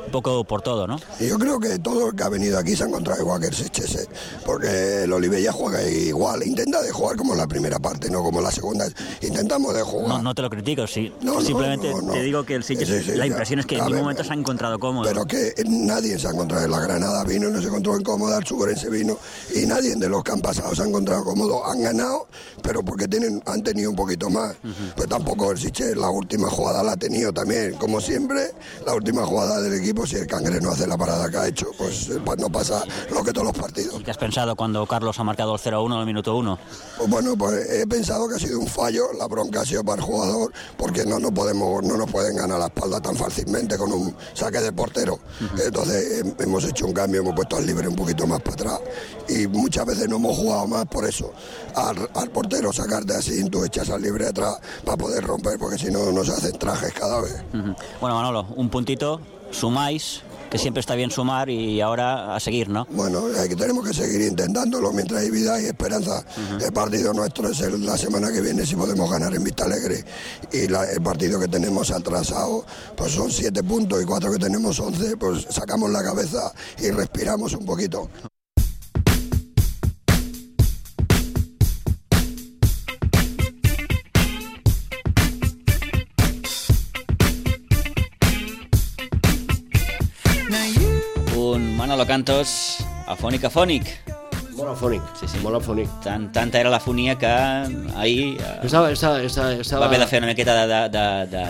un poco por todo, ¿no? Y yo creo que todo el que ha venido aquí se ha encontrado igual que el Sitges, porque el Olivella juega igual, intenta de jugar como en la primera parte, no como en la segunda, intentamos de jugar. No te lo critico, sí. Simplemente te digo que el Sitges, la impresión es que en ningún momento se ha encontrado cómodo. Pero que nadie se ha encontrado, en la Granada vino y no se encontró incómoda, el Suberense vino y nadie de los que han pasado se ha encontrado cómodo, han ganado, pero porque han tenido un poquito más. Pues tampoco el Sitges, la última jugada la ha tenido también, como siempre, la última jugada del equipo, si el Cangre no hace la parada que ha hecho, pues no pasa lo que todos los partidos. ¿Y qué has pensado cuando Carlos ha marcado el 0-1 en el minuto 1? Pues bueno, pues he pensado que ha sido un fallo, la bronca ha sido para el jugador, porque no nos pueden ganar la espalda tan fácilmente con un saque de portero. Entonces hemos hecho un cambio, hemos puesto al libre un poquito más para atrás y muchas veces no hemos jugado más por eso, al portero sacarte así, tú echas al libre atrás para poder romper, porque si no se hacen trajes cada vez. Bueno, Manolo, un puntito, sumáis, que siempre está bien sumar y ahora a seguir, ¿no? Bueno, tenemos que seguir intentándolo mientras hay vida y esperanza. El partido nuestro es la semana que viene, si podemos ganar en Vista Alegre, y el partido que tenemos atrasado pues son 7 puntos y 4 que tenemos 11, pues sacamos la cabeza y respiramos un poquito. Manolo Cantos, afònic. Molt afònic, molt afònic. Tanta era l'afonia que ahir va haver de fer una miqueta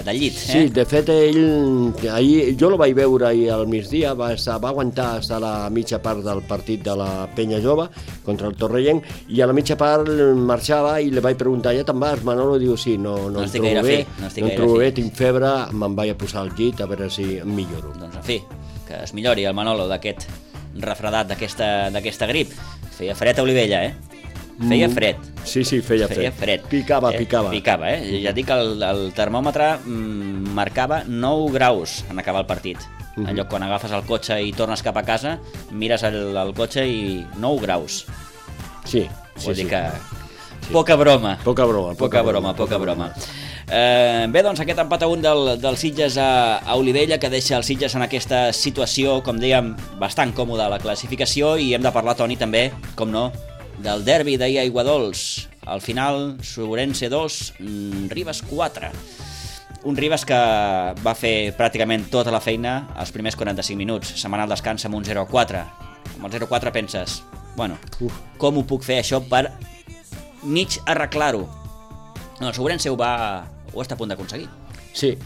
de llit. Sí, de fet, ahir jo lo vaig veure ahir al migdia, va aguantar fins a la mitja part del partit de la Penya Jove contra el Torrellenc, i a la mitja part marxava i li vaig preguntar, ja te'n vas, Manolo? Diu, sí, no em trobo bé, tinc febre, me'n vaig a posar al llit a veure si em milloro. Doncs en fi, que es millori el Manolo d'aquest refredat, d'aquesta grip. Feia fred a Olivella, Feia fred. Sí, feia fred. Picava. Ja dic que el termòmetre marcava 9 graus en acabar el partit. En lloc, quan agafes el cotxe i tornes cap a casa, mires el cotxe i 9 graus. Sí. Vol dir que... Poca broma. Bé, doncs aquest empat a 1 del Sitges a Olivella, que deixa el Sitges en aquesta situació, com dèiem, bastant còmoda a la classificació, i hem de parlar, Toni, també, com no, del derbi d'ahir a Aiguadols. Al final, Sobrense 2, Ribes 4. Un Ribes que va fer pràcticament tota la feina els primers 45 minuts. Se'n va anar al descans amb un 0-4. Amb el 0-4 penses, bueno, com ho puc fer això per mig arreglar-ho? No, el Sobrense ho està a punt d'aconseguir. Sí.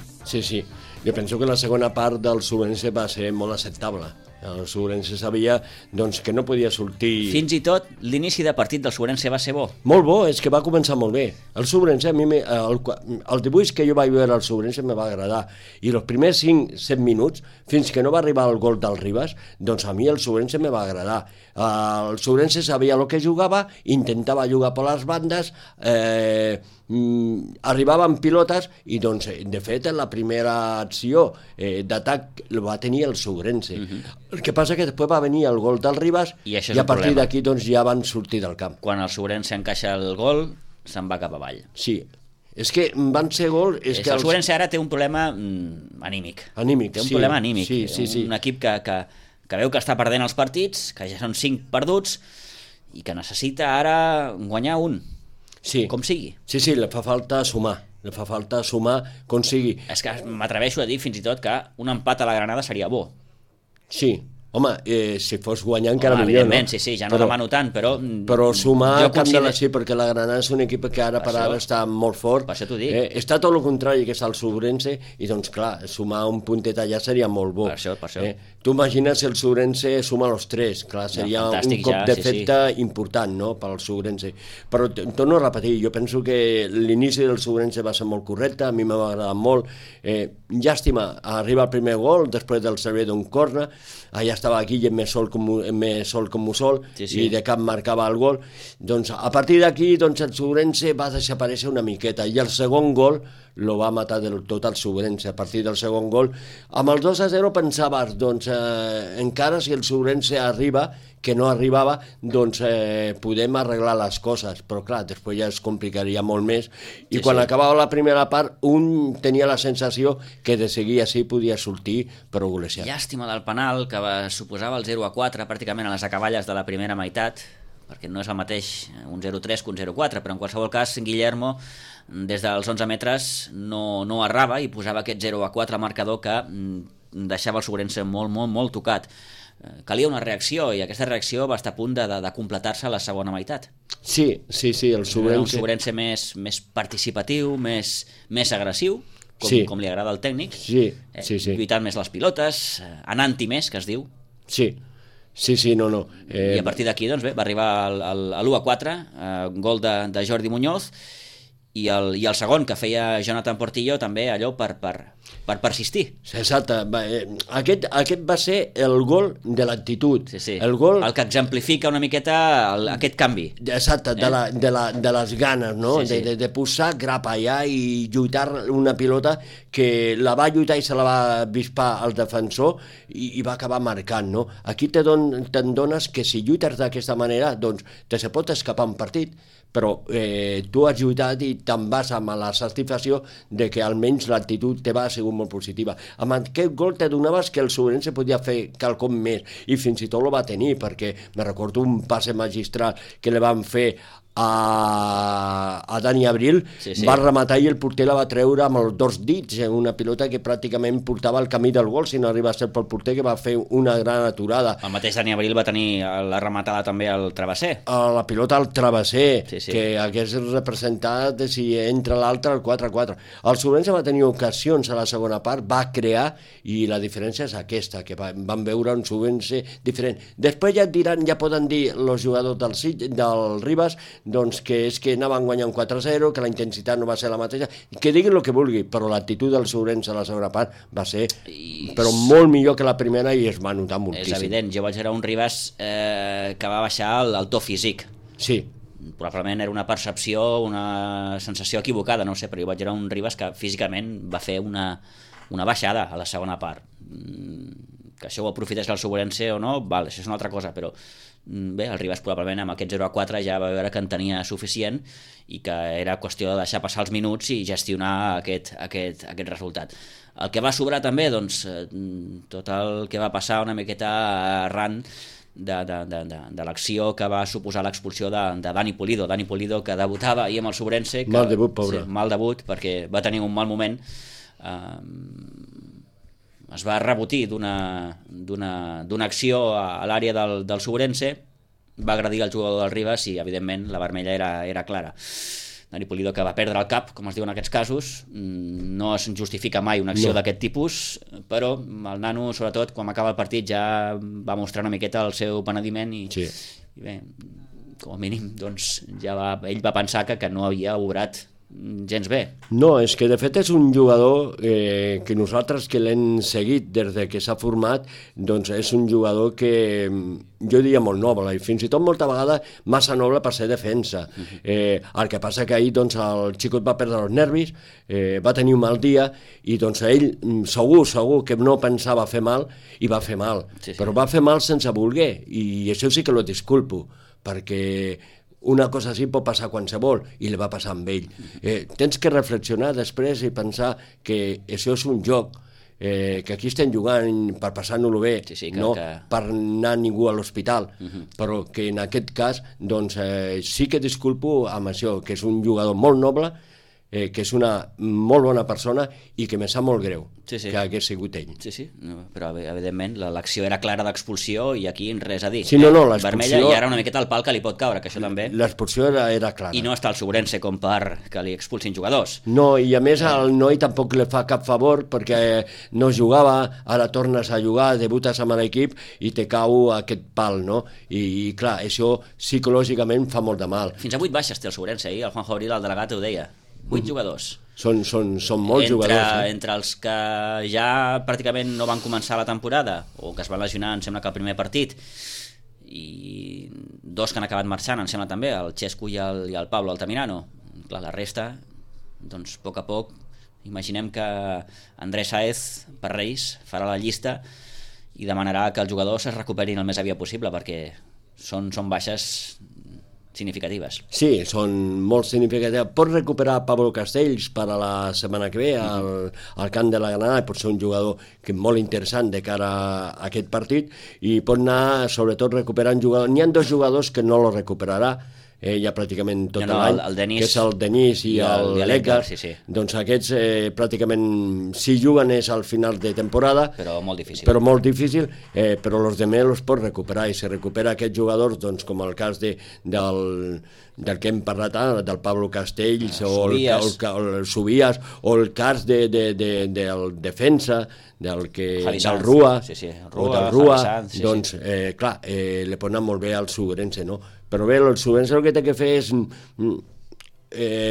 Jo penso que la segona part del Sobrense va ser molt acceptable. El Sobrense sabia doncs, que no podia sortir... Fins i tot l'inici de partit del Sobrense va ser bo. Molt bo, és que va començar molt bé. El Sobrense, a mi, el dibuix que jo vaig veure al Sobrense me va agradar. I els primers 5-7 minuts, fins que no va arribar el gol del Ribes, doncs a mi el Sobrense me va agradar. El Sobrense sabia el que jugava, intentava jugar per les bandes, arribaven pilotes i doncs de fet en la primera acció d'atac va tenir el Sobrense. El que passa que després va venir el gol del Ribes i a partir d'aquí doncs ja van sortir del camp. Quan el Sobrense encaixa el gol se'n va cap avall. Sí, és que van ser gols... El Sobrense ara té un problema anímic. Té un problema anímic. Sí. Un equip que veu que està perdent els partits, que ja són 5 perduts i que necessita ara guanyar un. Sí. Com sigui. Sí, li fa falta sumar. Le fa falta sumar com sigui. És que m'atreveixo a dir fins i tot que un empat a la Granada seria bo. Sí. Home, si fos guanyar encara millor, evidentment, no? Sí, ja no demano tant, però... Però sumar sí, perquè la Granada és un equip que ara per ara està molt fort. Per això t'ho dic. Està tot el contrari que és el Sobrense, i doncs clar, sumar un puntet allà seria molt bo. Per això. Tu imagines el Sobrense suma els 3, clar, seria un cop d'efecte important, no?, pel Sobrense. Però torno a repetir, jo penso que l'inici del Sobrense va ser molt correcte, a mi m'ha agradat molt. Llàstima, arriba el primer gol, després del servei d'un corner, allà estava Guillem més sol com Mussol, i de cap marcava el gol. Doncs a partir d'aquí doncs, el Sobrense va desaparèixer una miqueta, i el segon gol lo va matar del tot el Sobrense. A partir del segon gol, amb el 2-0 pensaves, doncs encara si el Sobrense arriba, que no arribava, doncs podem arreglar les coses, però clar, després ja es complicaria molt més, i quan acabava la primera part un tenia la sensació que de seguir així podia sortir però golejat. Llàstima del penal que suposava el 0-4 pràcticament a les acaballes de la primera meitat, perquè no és el mateix un 0-3 que un 0-4, però en qualsevol cas Guillermo des dels 11 metres no errava i posava aquest 0-4 marcador que deixava el Sobrense molt tocat. Calia una reacció, i aquesta reacció va estar a punt de completar-se a la segona meitat. Sí, el Sobrense... Un Sobrense més participatiu, més agressiu, com li agrada al tècnic, lluitant més les pilotes, anant-hi més, que es diu. Sí, no. I a partir d'aquí doncs, va arribar l'1-4, gol de Jordi Muñoz, i el segon que feia Jonathan Portillo també allò per persistir. Exacte, aquest va ser el gol de l'actitud. El que exemplifica una miqueta aquest canvi. Exacte, de les ganes, no? De posar grapa allà i lluitar una pilota que la va lluitar i se la va avispar al defensor i va acabar marcant, no? Aquí te'n dones que si lluites d'aquesta manera, doncs te se pot escapar un partit, però tu has lluitat i te'n vas amb la satisfacció de que almenys l'actitud teva ha sigut molt positiva. Amb aquest gol te donaves que el Sobrense podia fer quelcom més, i fins i tot lo va tenir, perquè me recordo un passe magistral que li van fer a Dani Abril, va rematar i el porter la va treure amb els 2 dits, una pilota que pràcticament portava el camí del gol, si no arriba a ser pel porter, que va fer una gran aturada. El mateix Dani Abril va tenir la rematada també al travesser. La pilota al travesser, que hagués representat, si entra l'altre, el 4-4. El Sobrense va tenir ocasions a la segona part, va crear, i la diferència és aquesta, que van veure un Sobrense diferent. Després ja poden dir els jugadors del Ribes doncs que és que anaven guanyant 4-0, que la intensitat no va ser la mateixa, que diguin el que vulgui, però l'actitud del Sobrense a la segona part va ser però molt millor que la primera, i es va notar moltíssim. És evident, jo vaig veure un Ribes que va baixar el to físic. Sí. Probablement era una percepció, una sensació equivocada, no ho sé, però jo vaig veure un Ribes que físicament va fer una baixada a la segona part. Que això ho aprofités el Sobrense o no, això és una altra cosa, però bé, el Ribes probablement amb aquest 0-4 ja va veure que en tenia suficient i que era qüestió de deixar passar els minuts i gestionar aquest resultat. El que va sobrar també, doncs, tot el que va passar una miqueta arran de l'acció que va suposar l'expulsió de Dani Pulido. Dani Pulido, que debutava ahir amb el Sobrense. Mal debut, pobre. Sí, mal debut, perquè va tenir un mal moment. Es va rebotir d'una acció a l'àrea del Sobrense, va agredir el jugador del Ribas i, evidentment, la vermella era clara. Dani Pulido, que va perdre el cap, com es diu en aquests casos. No es justifica mai una acció d'aquest tipus, però el nano, sobretot, quan acaba el partit, ja va mostrar una miqueta el seu penediment i bé, com a mínim, doncs, ell va pensar que no havia obrat gens bé. No, és que de fet és un jugador que nosaltres que l'hem seguit des de que s'ha format, doncs és un jugador que jo diria molt noble i fins i tot molta vegada massa noble per ser defensa. El que passa que ahir doncs, el xicot va perdre els nervis, va tenir un mal dia i doncs ell segur que no pensava fer mal i va fer mal, però va fer mal sense voler i això sí que lo disculpo, perquè una cosa així pot passar qualsevol i li va passar amb ell. Tens que reflexionar després i pensar que això és un joc, que aquí estem jugant per passar-nos-ho bé, no per anar ningú a l'hospital, però que en aquest cas doncs, sí que disculpo amb això, que és un jugador molt noble, que és una molt bona persona i que me sap molt greu que hagués sigut ell. Sí, però evidentment l'acció era clara d'expulsió i aquí res a dir. Sí, no, l'expulsió... Vermella i ara una miqueta el pal que li pot caure, que això també... L'expulsió era clara. I no està el Sobrense com per que li expulsin jugadors. No, i a més al noi tampoc li fa cap favor perquè no jugava, ara tornes a jugar, debutes amb l'equip i te cau aquest pal, no? I clar, això psicològicament fa molt de mal. Fins a 8 baixes té el Sobrense, el Juanjo Abril, el delegat, ho deia. 8 jugadors. Són molts jugadors. Entre els que ja pràcticament no van començar la temporada o que es van lesionar, em sembla que el primer partit, i 2 que han acabat marxant, em sembla també, el Xesco i el Pablo Altamirano. Clar, la resta, doncs a poc, imaginem que Andrés Sáez per Reis farà la llista i demanarà que els jugadors es recuperin el més aviat possible perquè són baixes significatives. Sí, són molt significatives. Pot recuperar Pablo Castells per a la setmana que ve al camp de la Granada, pot ser un jugador que molt interessant de cara a aquest partit i pot anar sobretot recuperant jugadors. N'hi ha 2 jugadors que no lo recuperarà ja pràcticament tot l'any, que és el Denis i l'Edgar. Doncs aquests pràcticament si juguen és al final de temporada, però molt difícil, però els demés els pot recuperar i si recupera aquests jugadors, doncs com el cas del que hem parlat ara, del Pablo Castells o el Subias o el cas del defensa del Rua o del Rua, doncs clar, li pot anar molt bé al Sobrense, no? Però bé, el Sobrense el que té que fer és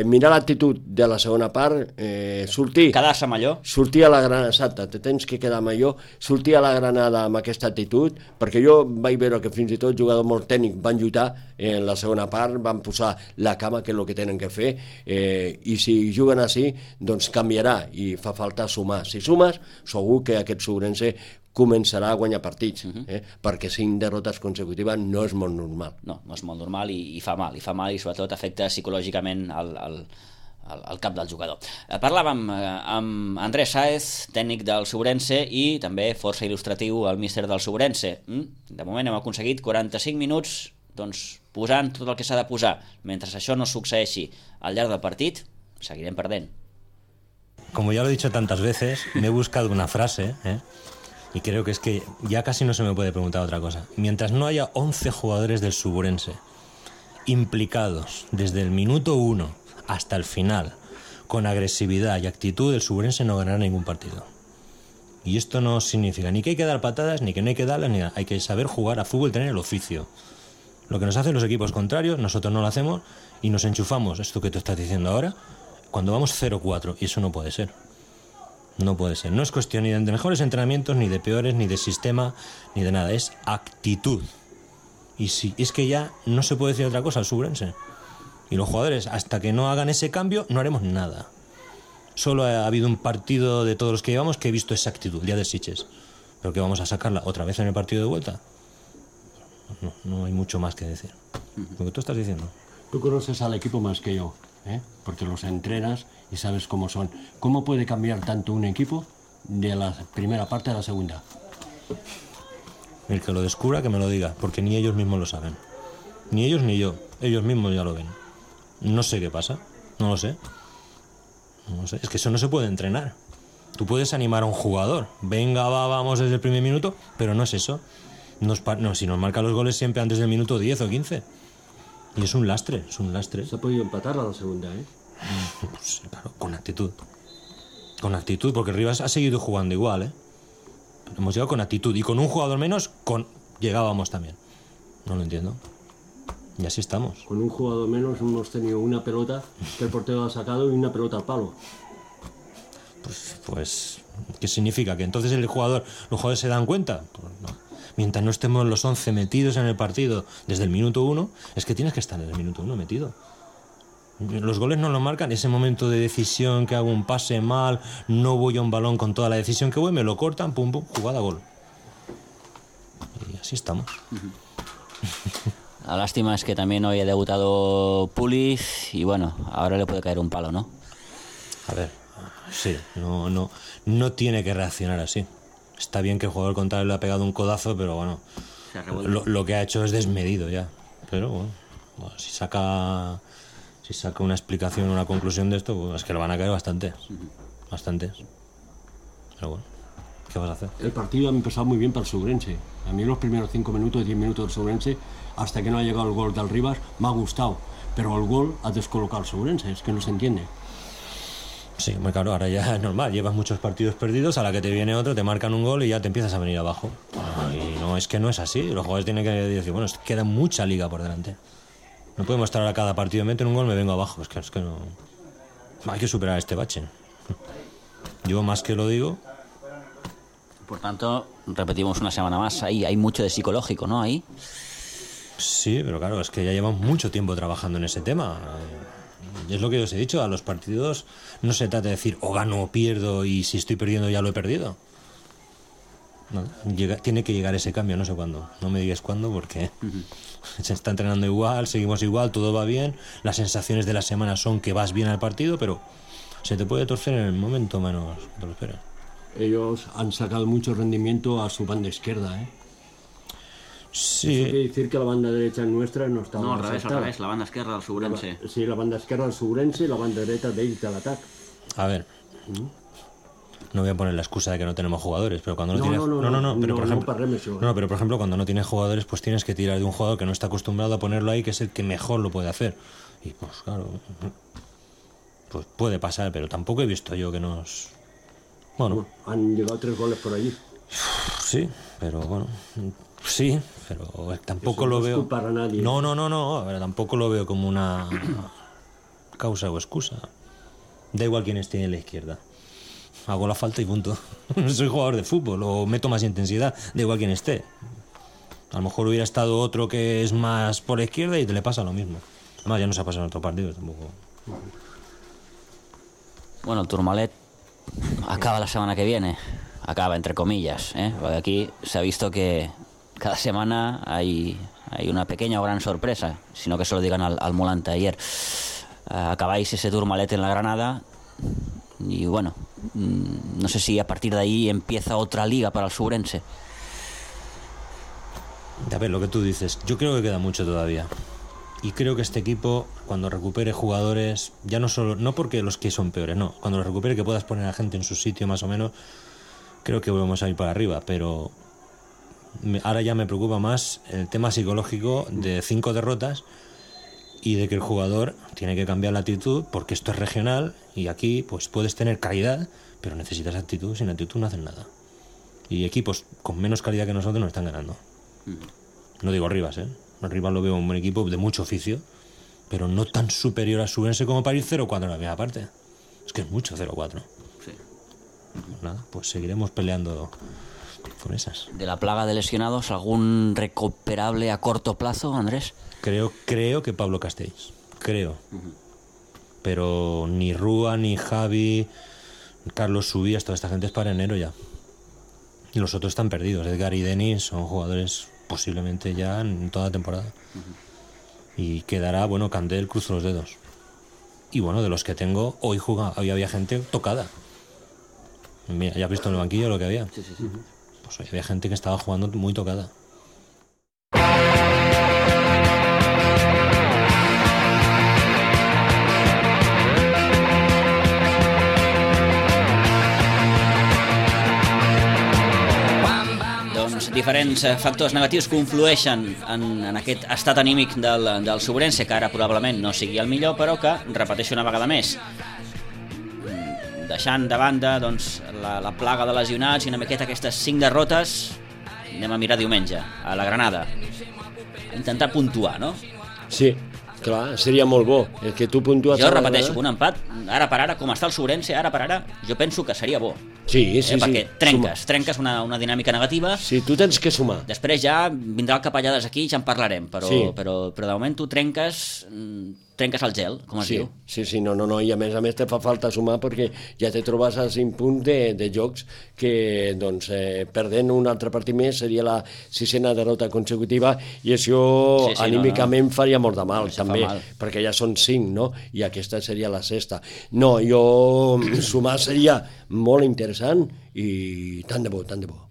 mirar l'actitud de la segona part, quedar-se millor, sortir a la Granada, exacte, te tens que quedar millor, sortir a la Granada amb aquesta actitud, perquè jo vaig veure que fins i tot jugadors molt tècnics van lluitar en la segona part, van posar la cama, que és el que tenen que fer, i si juguen així, doncs canviarà i fa falta sumar. Si sumes, segur que aquest Sobrense començarà a guanyar partits, perquè 5 derrotes consecutives no és molt normal. No és molt normal i fa mal, i sobretot afecta psicològicament el cap del jugador. Parlàvem amb Andrés Sáez, tècnic del Sobrense i també força il·lustratiu el míster del Sobrense. De moment hem aconseguit 45 minuts doncs, posant tot el que s'ha de posar. Mentre això no succeeixi al llarg del partit, seguirem perdent. Como ya lo he dicho tantas veces, me he buscado una frase, y creo que es que ya casi no se me puede preguntar otra cosa. Mientras no haya 11 jugadores del Sobrense implicados desde el minuto 1 hasta el final, con agresividad y actitud, el Sobrense no ganará ningún partido. Y esto no significa ni que hay que dar patadas, ni que no hay que darlas, ni nada. Hay que saber jugar a fútbol y tener el oficio. Lo que nos hacen los equipos contrarios, nosotros no lo hacemos y nos enchufamos, esto que tú estás diciendo ahora, cuando vamos 0-4, y eso no puede ser. No puede ser. No es cuestión ni de mejores entrenamientos, ni de peores, ni de sistema, ni de nada. Es actitud. Y sí, es que ya no se puede decir otra cosa al Sobrense. Y los jugadores, hasta que no hagan ese cambio, no haremos nada. Solo ha habido un partido de todos los que llevamos que he visto esa actitud, el día de Sitges. Pero que vamos a sacarla otra vez en el partido de vuelta. No hay mucho más que decir. Lo que tú estás diciendo. Tú conoces al equipo más que yo, porque los entrenas y sabes cómo son. ¿Cómo puede cambiar tanto un equipo de la primera parte a la segunda? El que lo descubra, que me lo diga, porque ni ellos mismos lo saben. Ni ellos ni yo. Ellos mismos ya lo ven. No sé qué pasa. No lo sé. No sé. Es que eso no se puede entrenar. Tú puedes animar a un jugador. Venga, vamos desde el primer minuto, pero no es eso. Si nos marca los goles siempre antes del minuto 10 o 15. Y es un lastre. Se ha podido empatar a la segunda, ¿eh? Pues, claro, con actitud. Con actitud, porque Rivas ha seguido jugando igual, ¿eh? Hemos llegado con actitud y con un jugador menos llegábamos también. No lo entiendo. Y así estamos. Con un jugador menos hemos tenido una pelota que el portero ha sacado y una pelota al palo. Pues ¿qué significa? ¿Que entonces los jugadores se dan cuenta? Pues no. Mientras no estemos los 11 metidos en el partido desde el minuto 1, es que tienes que estar en el minuto 1 metido. Los goles no lo marcan, ese momento de decisión que hago un pase mal, no voy a un balón con toda la decisión que voy, me lo cortan, pum, pum, jugada, gol. Y así estamos. La lástima es que también hoy ha debutado Puliz y bueno, ahora le puede caer un palo, ¿no? A ver, sí, no tiene que reaccionar así. Está bien que el jugador contrario le ha pegado un codazo, pero bueno, lo que ha hecho es desmedido ya. Pero bueno, si saca una explicación, una conclusión de esto, pues es que lo van a caer bastantes. Pero bueno, ¿qué vas a hacer? El partido ha empezado muy bien para el Subrense. A mí los primeros 5 minutos, 10 minutos del Subrense, hasta que no ha llegado el gol del Rivas, me ha gustado. Pero el gol ha descolocado al Subrense, es que no se entiende. Sí, muy claro, ahora ya es normal, llevas muchos partidos perdidos, a la que te viene otro, te marcan un gol y ya te empiezas a venir abajo. Y no, es que no es así, los jugadores tienen que decir, bueno, queda mucha liga por delante. No podemos estar ahora cada partido, meten un gol, me vengo abajo, es que no... Hay que superar este bache. Yo más que lo digo... Por tanto, repetimos una semana más, ahí hay mucho de psicológico, ¿no? Ahí. Sí, pero claro, es que ya llevamos mucho tiempo trabajando en ese tema. Y es lo que os he dicho, a los partidos no se trata de decir o gano o pierdo y si estoy perdiendo ya lo he perdido. No, tiene que llegar ese cambio, no sé cuándo. No me digas cuándo porque se está entrenando igual, seguimos igual, todo va bien. Las sensaciones de la semana son que vas bien al partido, pero se te puede torcer en el momento menos que te lo esperas. Ellos han sacado mucho rendimiento a su banda izquierda, ¿eh? Sí. Eso quiere decir que la banda derecha nuestra no está... No, al revés, la banda esquerra del Subrense. Sí, la banda esquerra del Subrense y la banda derecha d'ells de l'atac. A ver, no voy a poner la excusa de que no tenemos jugadores, pero cuando no tienes... pero por ejemplo, cuando no tienes jugadores, pues tienes que tirar de un jugador que no está acostumbrado a ponerlo ahí, que es el que mejor lo puede hacer. Y pues claro, pues puede pasar, pero tampoco he visto yo que nos... Bueno, han llegado 3 goles por allí. Sí, pero bueno... Sí, pero tampoco lo veo... Para nadie. No, pero tampoco lo veo como una causa o excusa. Da igual quién esté en la izquierda. Hago la falta y punto. Soy jugador de fútbol o meto más intensidad, da igual quién esté. A lo mejor hubiera estado otro que es más por la izquierda y te le pasa lo mismo. Además ya no se ha pasado en otro partido tampoco. Bueno, el Tourmalet acaba la semana que viene. Acaba, entre comillas, ¿eh? Porque aquí se ha visto que cada semana hay una pequeña o gran sorpresa, sino que se lo digan al Molante ayer. Acabáis ese Tourmalet en la Granada y bueno, no sé si a partir de ahí empieza otra liga para el Subrense. A ver, lo que tú dices, yo creo que queda mucho todavía. Y creo que este equipo, cuando recupere jugadores, ya no porque los que son peores, no, cuando los recupere, que puedas poner a gente en su sitio más o menos, creo que volvemos a ir para arriba, pero ahora ya me preocupa más el tema psicológico de 5 derrotas y de que el jugador tiene que cambiar la actitud porque esto es regional y aquí pues puedes tener calidad, pero necesitas actitud, sin actitud no hacen nada. Y equipos con menos calidad que nosotros nos están ganando. No digo Rivas, Rivas lo veo un buen equipo de mucho oficio, pero no tan superior a Subrense como para ir 0-4 en la primera parte. Es que es mucho 0-4. Sí. Nada, pues seguiremos peleando con esas. ¿De la plaga de lesionados algún recuperable a corto plazo, Andrés? Creo que Pablo Castells. Creo. Pero ni Rúa, ni Javi, Carlos Subías, toda esta gente es para enero ya. Y los otros están perdidos. Edgar y Denis son jugadores posiblemente ya en toda la temporada. Y quedará, bueno, Candel, cruzo los dedos. Y bueno, de los que tengo, hoy había gente tocada. Mira, ya has visto en el banquillo lo que había. Sí. Pues hoy había gente que estaba jugando muy tocada. diferents factors negatius conflueixen en aquest estat anímic del Sobrense, que ara probablement no sigui el millor, però que repeteixo una vegada més, deixant de banda doncs, la plaga de lesionats i una miqueta aquestes 5 derrotes, anem a mirar diumenge a la Granada, intentar puntuar, no? Sí, clar, seria molt bo. El que tu puntues... Jo repeteixo, un empat, ara per ara, com està el Sobrense, ara per ara, jo penso que seria bo. Sí, sí, perquè sí. trenques una dinàmica negativa. Sí, tu tens que sumar. Després ja vindrà el capellades aquí i ja en parlarem, però, sí. però de moment tu trenques el gel, com es diu. Sí, no, i a més te fa falta sumar perquè ja te trobes a 5 punts de jocs que, doncs, perdent un altre partit més seria la 6a derrota consecutiva i això anímicament faria molt de mal, també, perquè ja són 5, no? I aquesta seria la 6a. No, sumar seria molt interessant i tant de bo.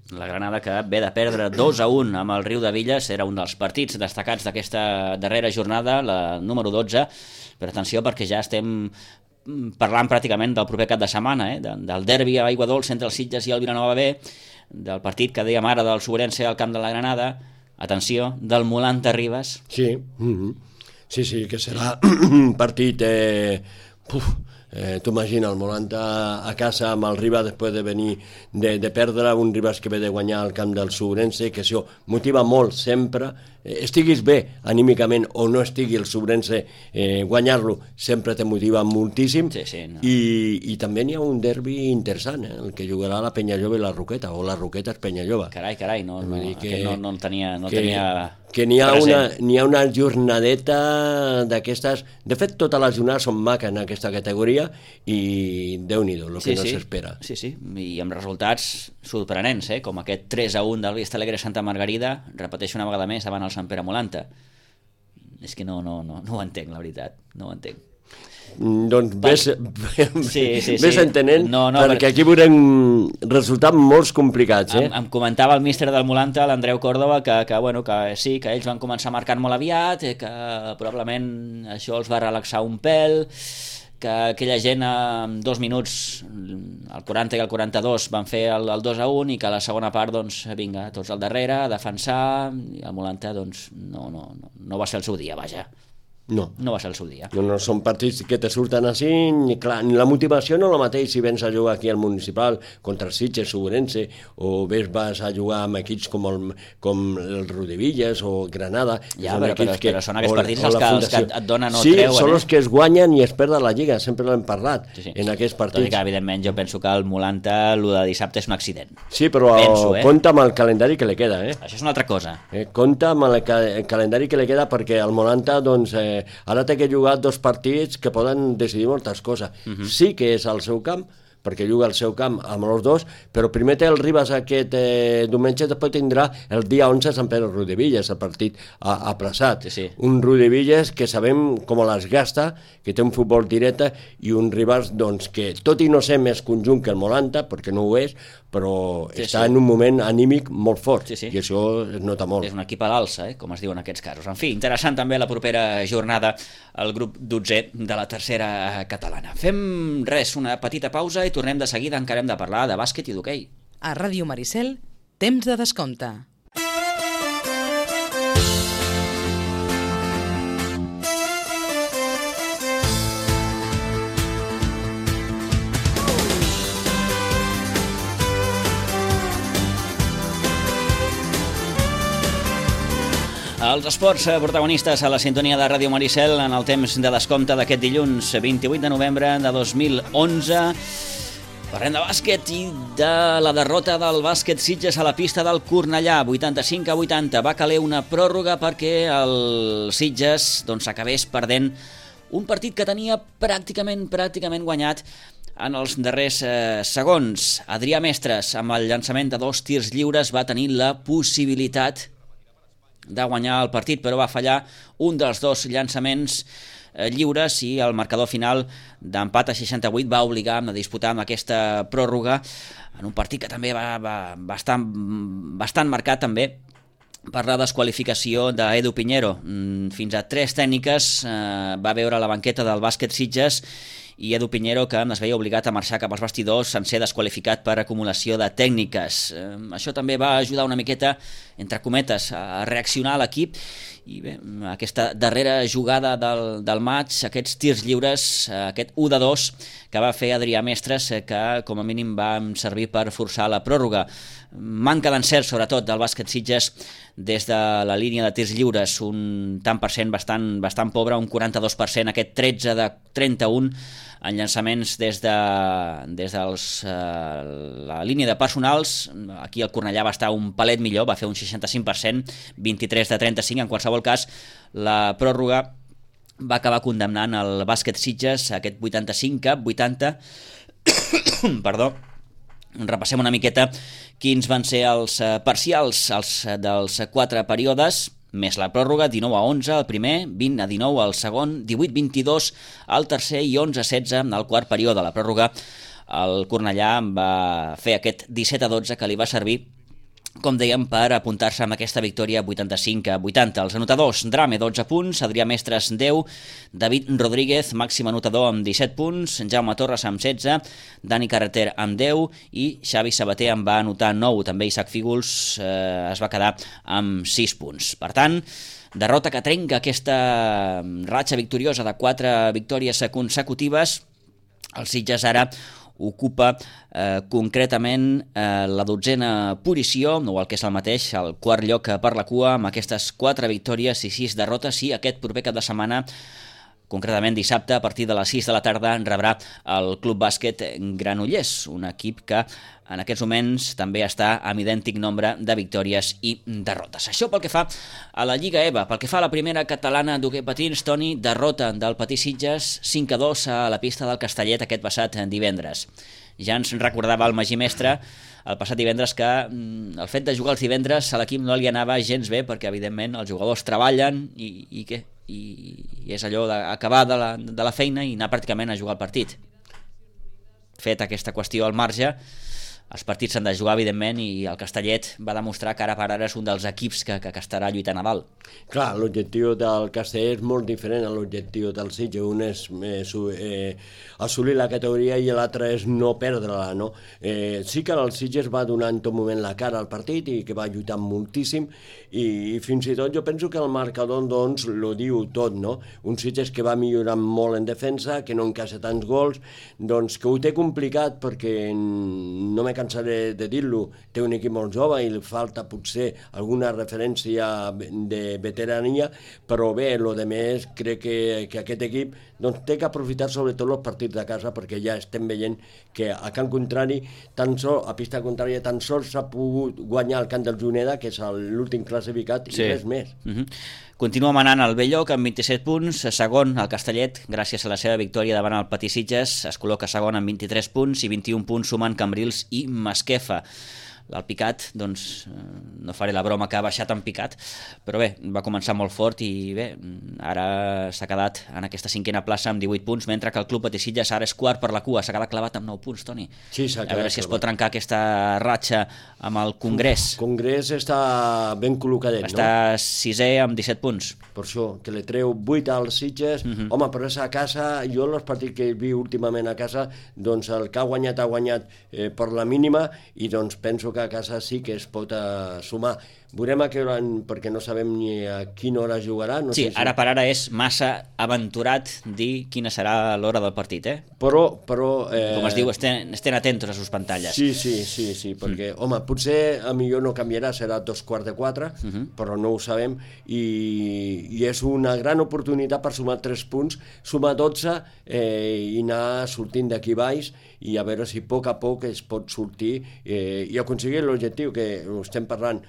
La Granada, que ve de perdre 2-1 amb el Riu de Villes, era un dels partits destacats d'aquesta darrera jornada, la número 12, però atenció perquè ja estem parlant pràcticament del proper cap de setmana, del derbi a Aigua Dolça entre els Sitges i el Vilanova B, del partit que dèiem ara del Sobrense al camp de la Granada, atenció, del Molanta Ribes. Sí, sí, que serà un partit... tu imagina el Molanta a casa amb el Ribas després de venir de perdre, un Ribas que ve de guanyar al camp del Sobrense, que això motiva molt sempre, estiguis bé anímicament o no estigui el Sobrense, guanyar-lo sempre te motiva moltíssim. No. I també n'hi ha un derbi interessant, el que jugarà la Penyajove i la Roqueta, o la Roqueta és Penyajove. Carai, no el tenia que n'hi ha una jornadeta d'aquestes. De fet, totes les jornades són maques en aquesta categoria i Déu-n'hi-do, el que no s'espera. Sí, i amb resultats sorprenents, com aquest 3-1 del Vista Alegre Santa Margarida, repeteixo una vegada més davant el Sant Pere Molanta. És que no ho entenc, la veritat, no ho entenc. Doncs ves entenent, perquè aquí veurem resultats molt complicats. Em comentava el míster del Molanta, l'Andreu Córdoba, que sí, que ells van començar marcant molt aviat, que probablement això els va relaxar un pèl, que aquella gent en 2 minuts, al 40 i al 42, van fer el 2-1 i que a la segona part, doncs, vinga, tots al darrere, a defensar, i el Molanta, doncs, no va ser el seu dia, vaja. No va ser el seu dia. No, són partits que te surten així, i clar, la motivació no és la mateix si vens a jugar aquí al Municipal contra el Sitges, Sobrense, o vas a jugar amb equips com el Rodevillas o Granada. Ja, però són aquests partits els que et donen o treuen. Sí, són els que es guanyen i es perden la Lliga, sempre l'hem parlat en aquests partits. Tot i que, evidentment, jo penso que el Molanta, el de dissabte, és un accident. Sí, però compta amb el calendari que li queda. Això és una altra cosa. Compta amb el calendari que li queda perquè el Molanta, doncs, ara té que jugar 2 partits que poden decidir moltes coses. Sí que és al seu camp, perquè juga al seu camp amb els 2, però primer té el Ribas aquest diumenge, després tindrà el dia 11 Sant Pere Rodevillas, el partit aplaçat. Un Rodevillas que sabem com les gasta, que té un futbol directe, i un Ribas doncs, que tot i no ser més conjunt que el Molanta, perquè no ho és, però està en un moment anímic molt fort, i això es nota molt. És un equip a l'alça, com es diu en aquests casos. En fi, interessant també la propera jornada al grup 12è de la tercera catalana. Fem una petita pausa i tornem de seguida, encara hem de parlar de bàsquet i d'hoquei. A Ràdio Maricel, temps de descompte. Els esports protagonistes a la sintonia de Ràdio Maricel en el temps de descompte d'aquest dilluns 28 de novembre de 2011. Parlem de bàsquet i de la derrota del bàsquet Sitges a la pista del Cornellà, 85-80. Va caler una pròrroga perquè el Sitges acabés perdent un partit que tenia pràcticament guanyat en els darrers segons. Adrià Mestres, amb el llançament de 2 tirs lliures, va tenir la possibilitat de guanyar el partit, però va fallar un dels 2 llançaments lliures i el marcador final d'empat a 68 va obligar a disputar amb aquesta pròrroga en un partit que també va bastant marcat també per la desqualificació d'Edu Piñero. Fins a 3 tècniques va veure la banqueta del bàsquet Sitges i Edu Piñero, que es veia obligat a marxar cap als vestidors en ser desqualificat per acumulació de tècniques. Això també va ajudar una miqueta, entre cometes, a reaccionar l'equip, i bé, aquesta darrera jugada del maig, aquests tirs lliures, aquest 1-2 que va fer Adrià Mestres, que com a mínim va servir per forçar la pròrroga. Manca d'encert, sobretot, del bàsquet Sitges des de la línia de tirs lliures, un tant per cent bastant pobre, un 42%, aquest 13 de 31 en llançaments des de la línia de personals. Aquí el Cornellà va estar un palet millor, va fer un 65%, 23 de 35. En qualsevol cas, la pròrroga va acabar condemnant el bàsquet Sitges a aquest 85-80. Perdó. Repassem una miqueta quins van ser els parcials dels 4 períodes, més la pròrroga: 19-11 al primer, 20-19 al segon, 18-22 al tercer i 11-16 al quart període. La pròrroga, el Cornellà va fer aquest 17-12 que li va servir, com dèiem, per apuntar-se amb aquesta victòria 85-80. Els anotadors: Drame, 12 punts, Adrià Mestres, 10, David Rodríguez, màxim anotador, amb 17 punts, Jaume Torres amb 16, Dani Carreter amb 10 i Xavi Sabater en va anotar 9. També Isaac Fígols es va quedar amb 6 punts. Per tant, derrota que trenca aquesta ratxa victoriosa de 4 victòries consecutives. El Sitges ara ocupa concretament la 12a posició, o el que és el mateix, el quart lloc per la cua, amb aquestes 4 victòries i 6 derrotes, i aquest proper cap de setmana, concretament dissabte, a partir de les 6 de la tarda, rebrà el Club Bàsquet Granollers, un equip que en aquests moments també està amb idèntic nombre de victòries i derrotes. Això pel que fa a la Lliga EVA. Pel que fa a la primera catalana d'hoquei patins, Toni, derrota del Patí Sitges 5-2 a la pista del Castellet aquest passat divendres. Ja ens recordava el Magí Mestre el passat divendres que el fet de jugar els divendres a l'equip no li anava gens bé, perquè evidentment els jugadors treballen i és allò d'acabar de la feina i anar pràcticament a jugar el partit. Fet aquesta qüestió al marge, els partits s'han de jugar, evidentment, i el Castellet va demostrar que ara per ara és un dels equips que estarà lluitant a dalt. Clar, l'objectiu del Castellet és molt diferent a l'objectiu del Sitges. Un és assolir la categoria i l'altre és no perdre-la, no? Sí que el Sitges va donar en tot moment la cara al partit i que va lluitar moltíssim, i fins i tot jo penso que el marcador doncs lo diu tot, no? Un Sitges que va millorar molt en defensa, que no encaixa tants gols, doncs que ho té complicat perquè no me cansaré de dir-lo, té un equip molt jove i li falta potser alguna referència de veterania, però bé, el de més crec que aquest equip doncs, té que aprofitar sobretot els partits de casa, perquè ja estem veient que a camp contrari, a pista contrària, tan sols s'ha pogut guanyar el camp del Juneda, que és l'últim classificat, i res més. Continua manant el Belloc amb 27 punts, segon el Castellet, gràcies a la seva victòria davant el Patí Sitges, es col·loca segon amb 23 punts i 21 punts sumant Cambrils i Masquefa. L'Alpicat, doncs, no faré la broma que ha baixat en picat, però bé, va començar molt fort i bé, ara s'ha quedat en aquesta 5a plaça amb 18 punts, mentre que el Club Patí Sitges ara és quart per la cua, s'ha quedat clavat amb 9 punts, Toni. Sí, s'ha quedat. A veure si es pot trencar aquesta ratxa amb el Congrés. El Congrés està ben col·locadet, no? Està 6è amb 17 punts. Per això, que li treu 8 als Sitges. Home, però és a casa, jo els partits que he vist últimament a casa, doncs el que ha guanyat per la mínima, i doncs penso que a casa sí que es pot sumar. Veurem a què hora, perquè no sabem ni a quina hora jugarà. No sí, sé si... ara per ara és massa aventurat dir quina serà l'hora del partit, Però com es diu, estén atentos a sus pantalles. Sí, perquè, home, potser a millor no canviarà, serà 3:45, però no ho sabem, i és una gran oportunitat per sumar 3 punts, sumar 12 i anar sortint d'aquí baix, i a veure si a poc es pot sortir i aconseguir l'objectiu que estem parlant.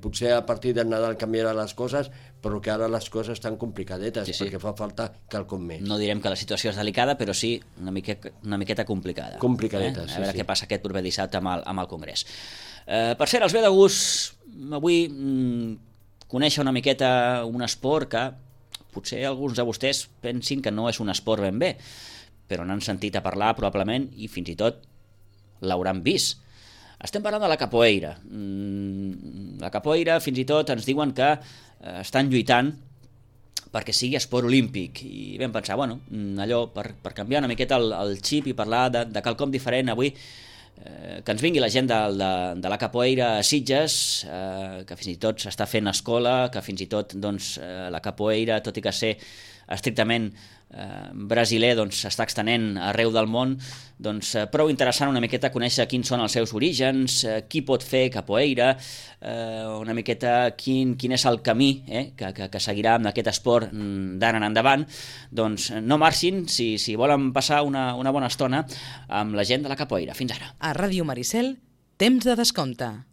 Potser a partir del Nadal canviarà les coses, però que ara les coses estan complicadetes, perquè fa falta quelcom més. No direm que la situació és delicada, però sí una miqueta complicada. Complicadeta, A veure què passa aquest proper dissabte amb el Congrés. Per cert, els ve de gust avui conèixer una miqueta un esport que potser alguns de vostès pensin que no és un esport ben bé, però n'han sentit a parlar probablement i fins i tot l'hauran vist. Estem parlant de la capoeira. La capoeira fins i tot ens diuen que estan lluitant perquè sigui esport olímpic, i vam pensar, bueno, allò per canviar una miqueta el xip i parlar de quelcom diferent avui, que ens vingui la gent de la capoeira a Sitges, que fins i tot s'està fent escola, que fins i tot la capoeira, tot i que ser estrictament brasiler, s'està extenent arreu del món, prou interessant una miqueta conèixer quins són els seus orígens, qui pot fer capoeira, una miqueta quin és el camí que seguirà amb aquest esport d'ara en endavant. Doncs no marxin si volen passar una bona estona amb la gent de la capoeira. Fins ara. A Ràdio Maricel, temps de descompte.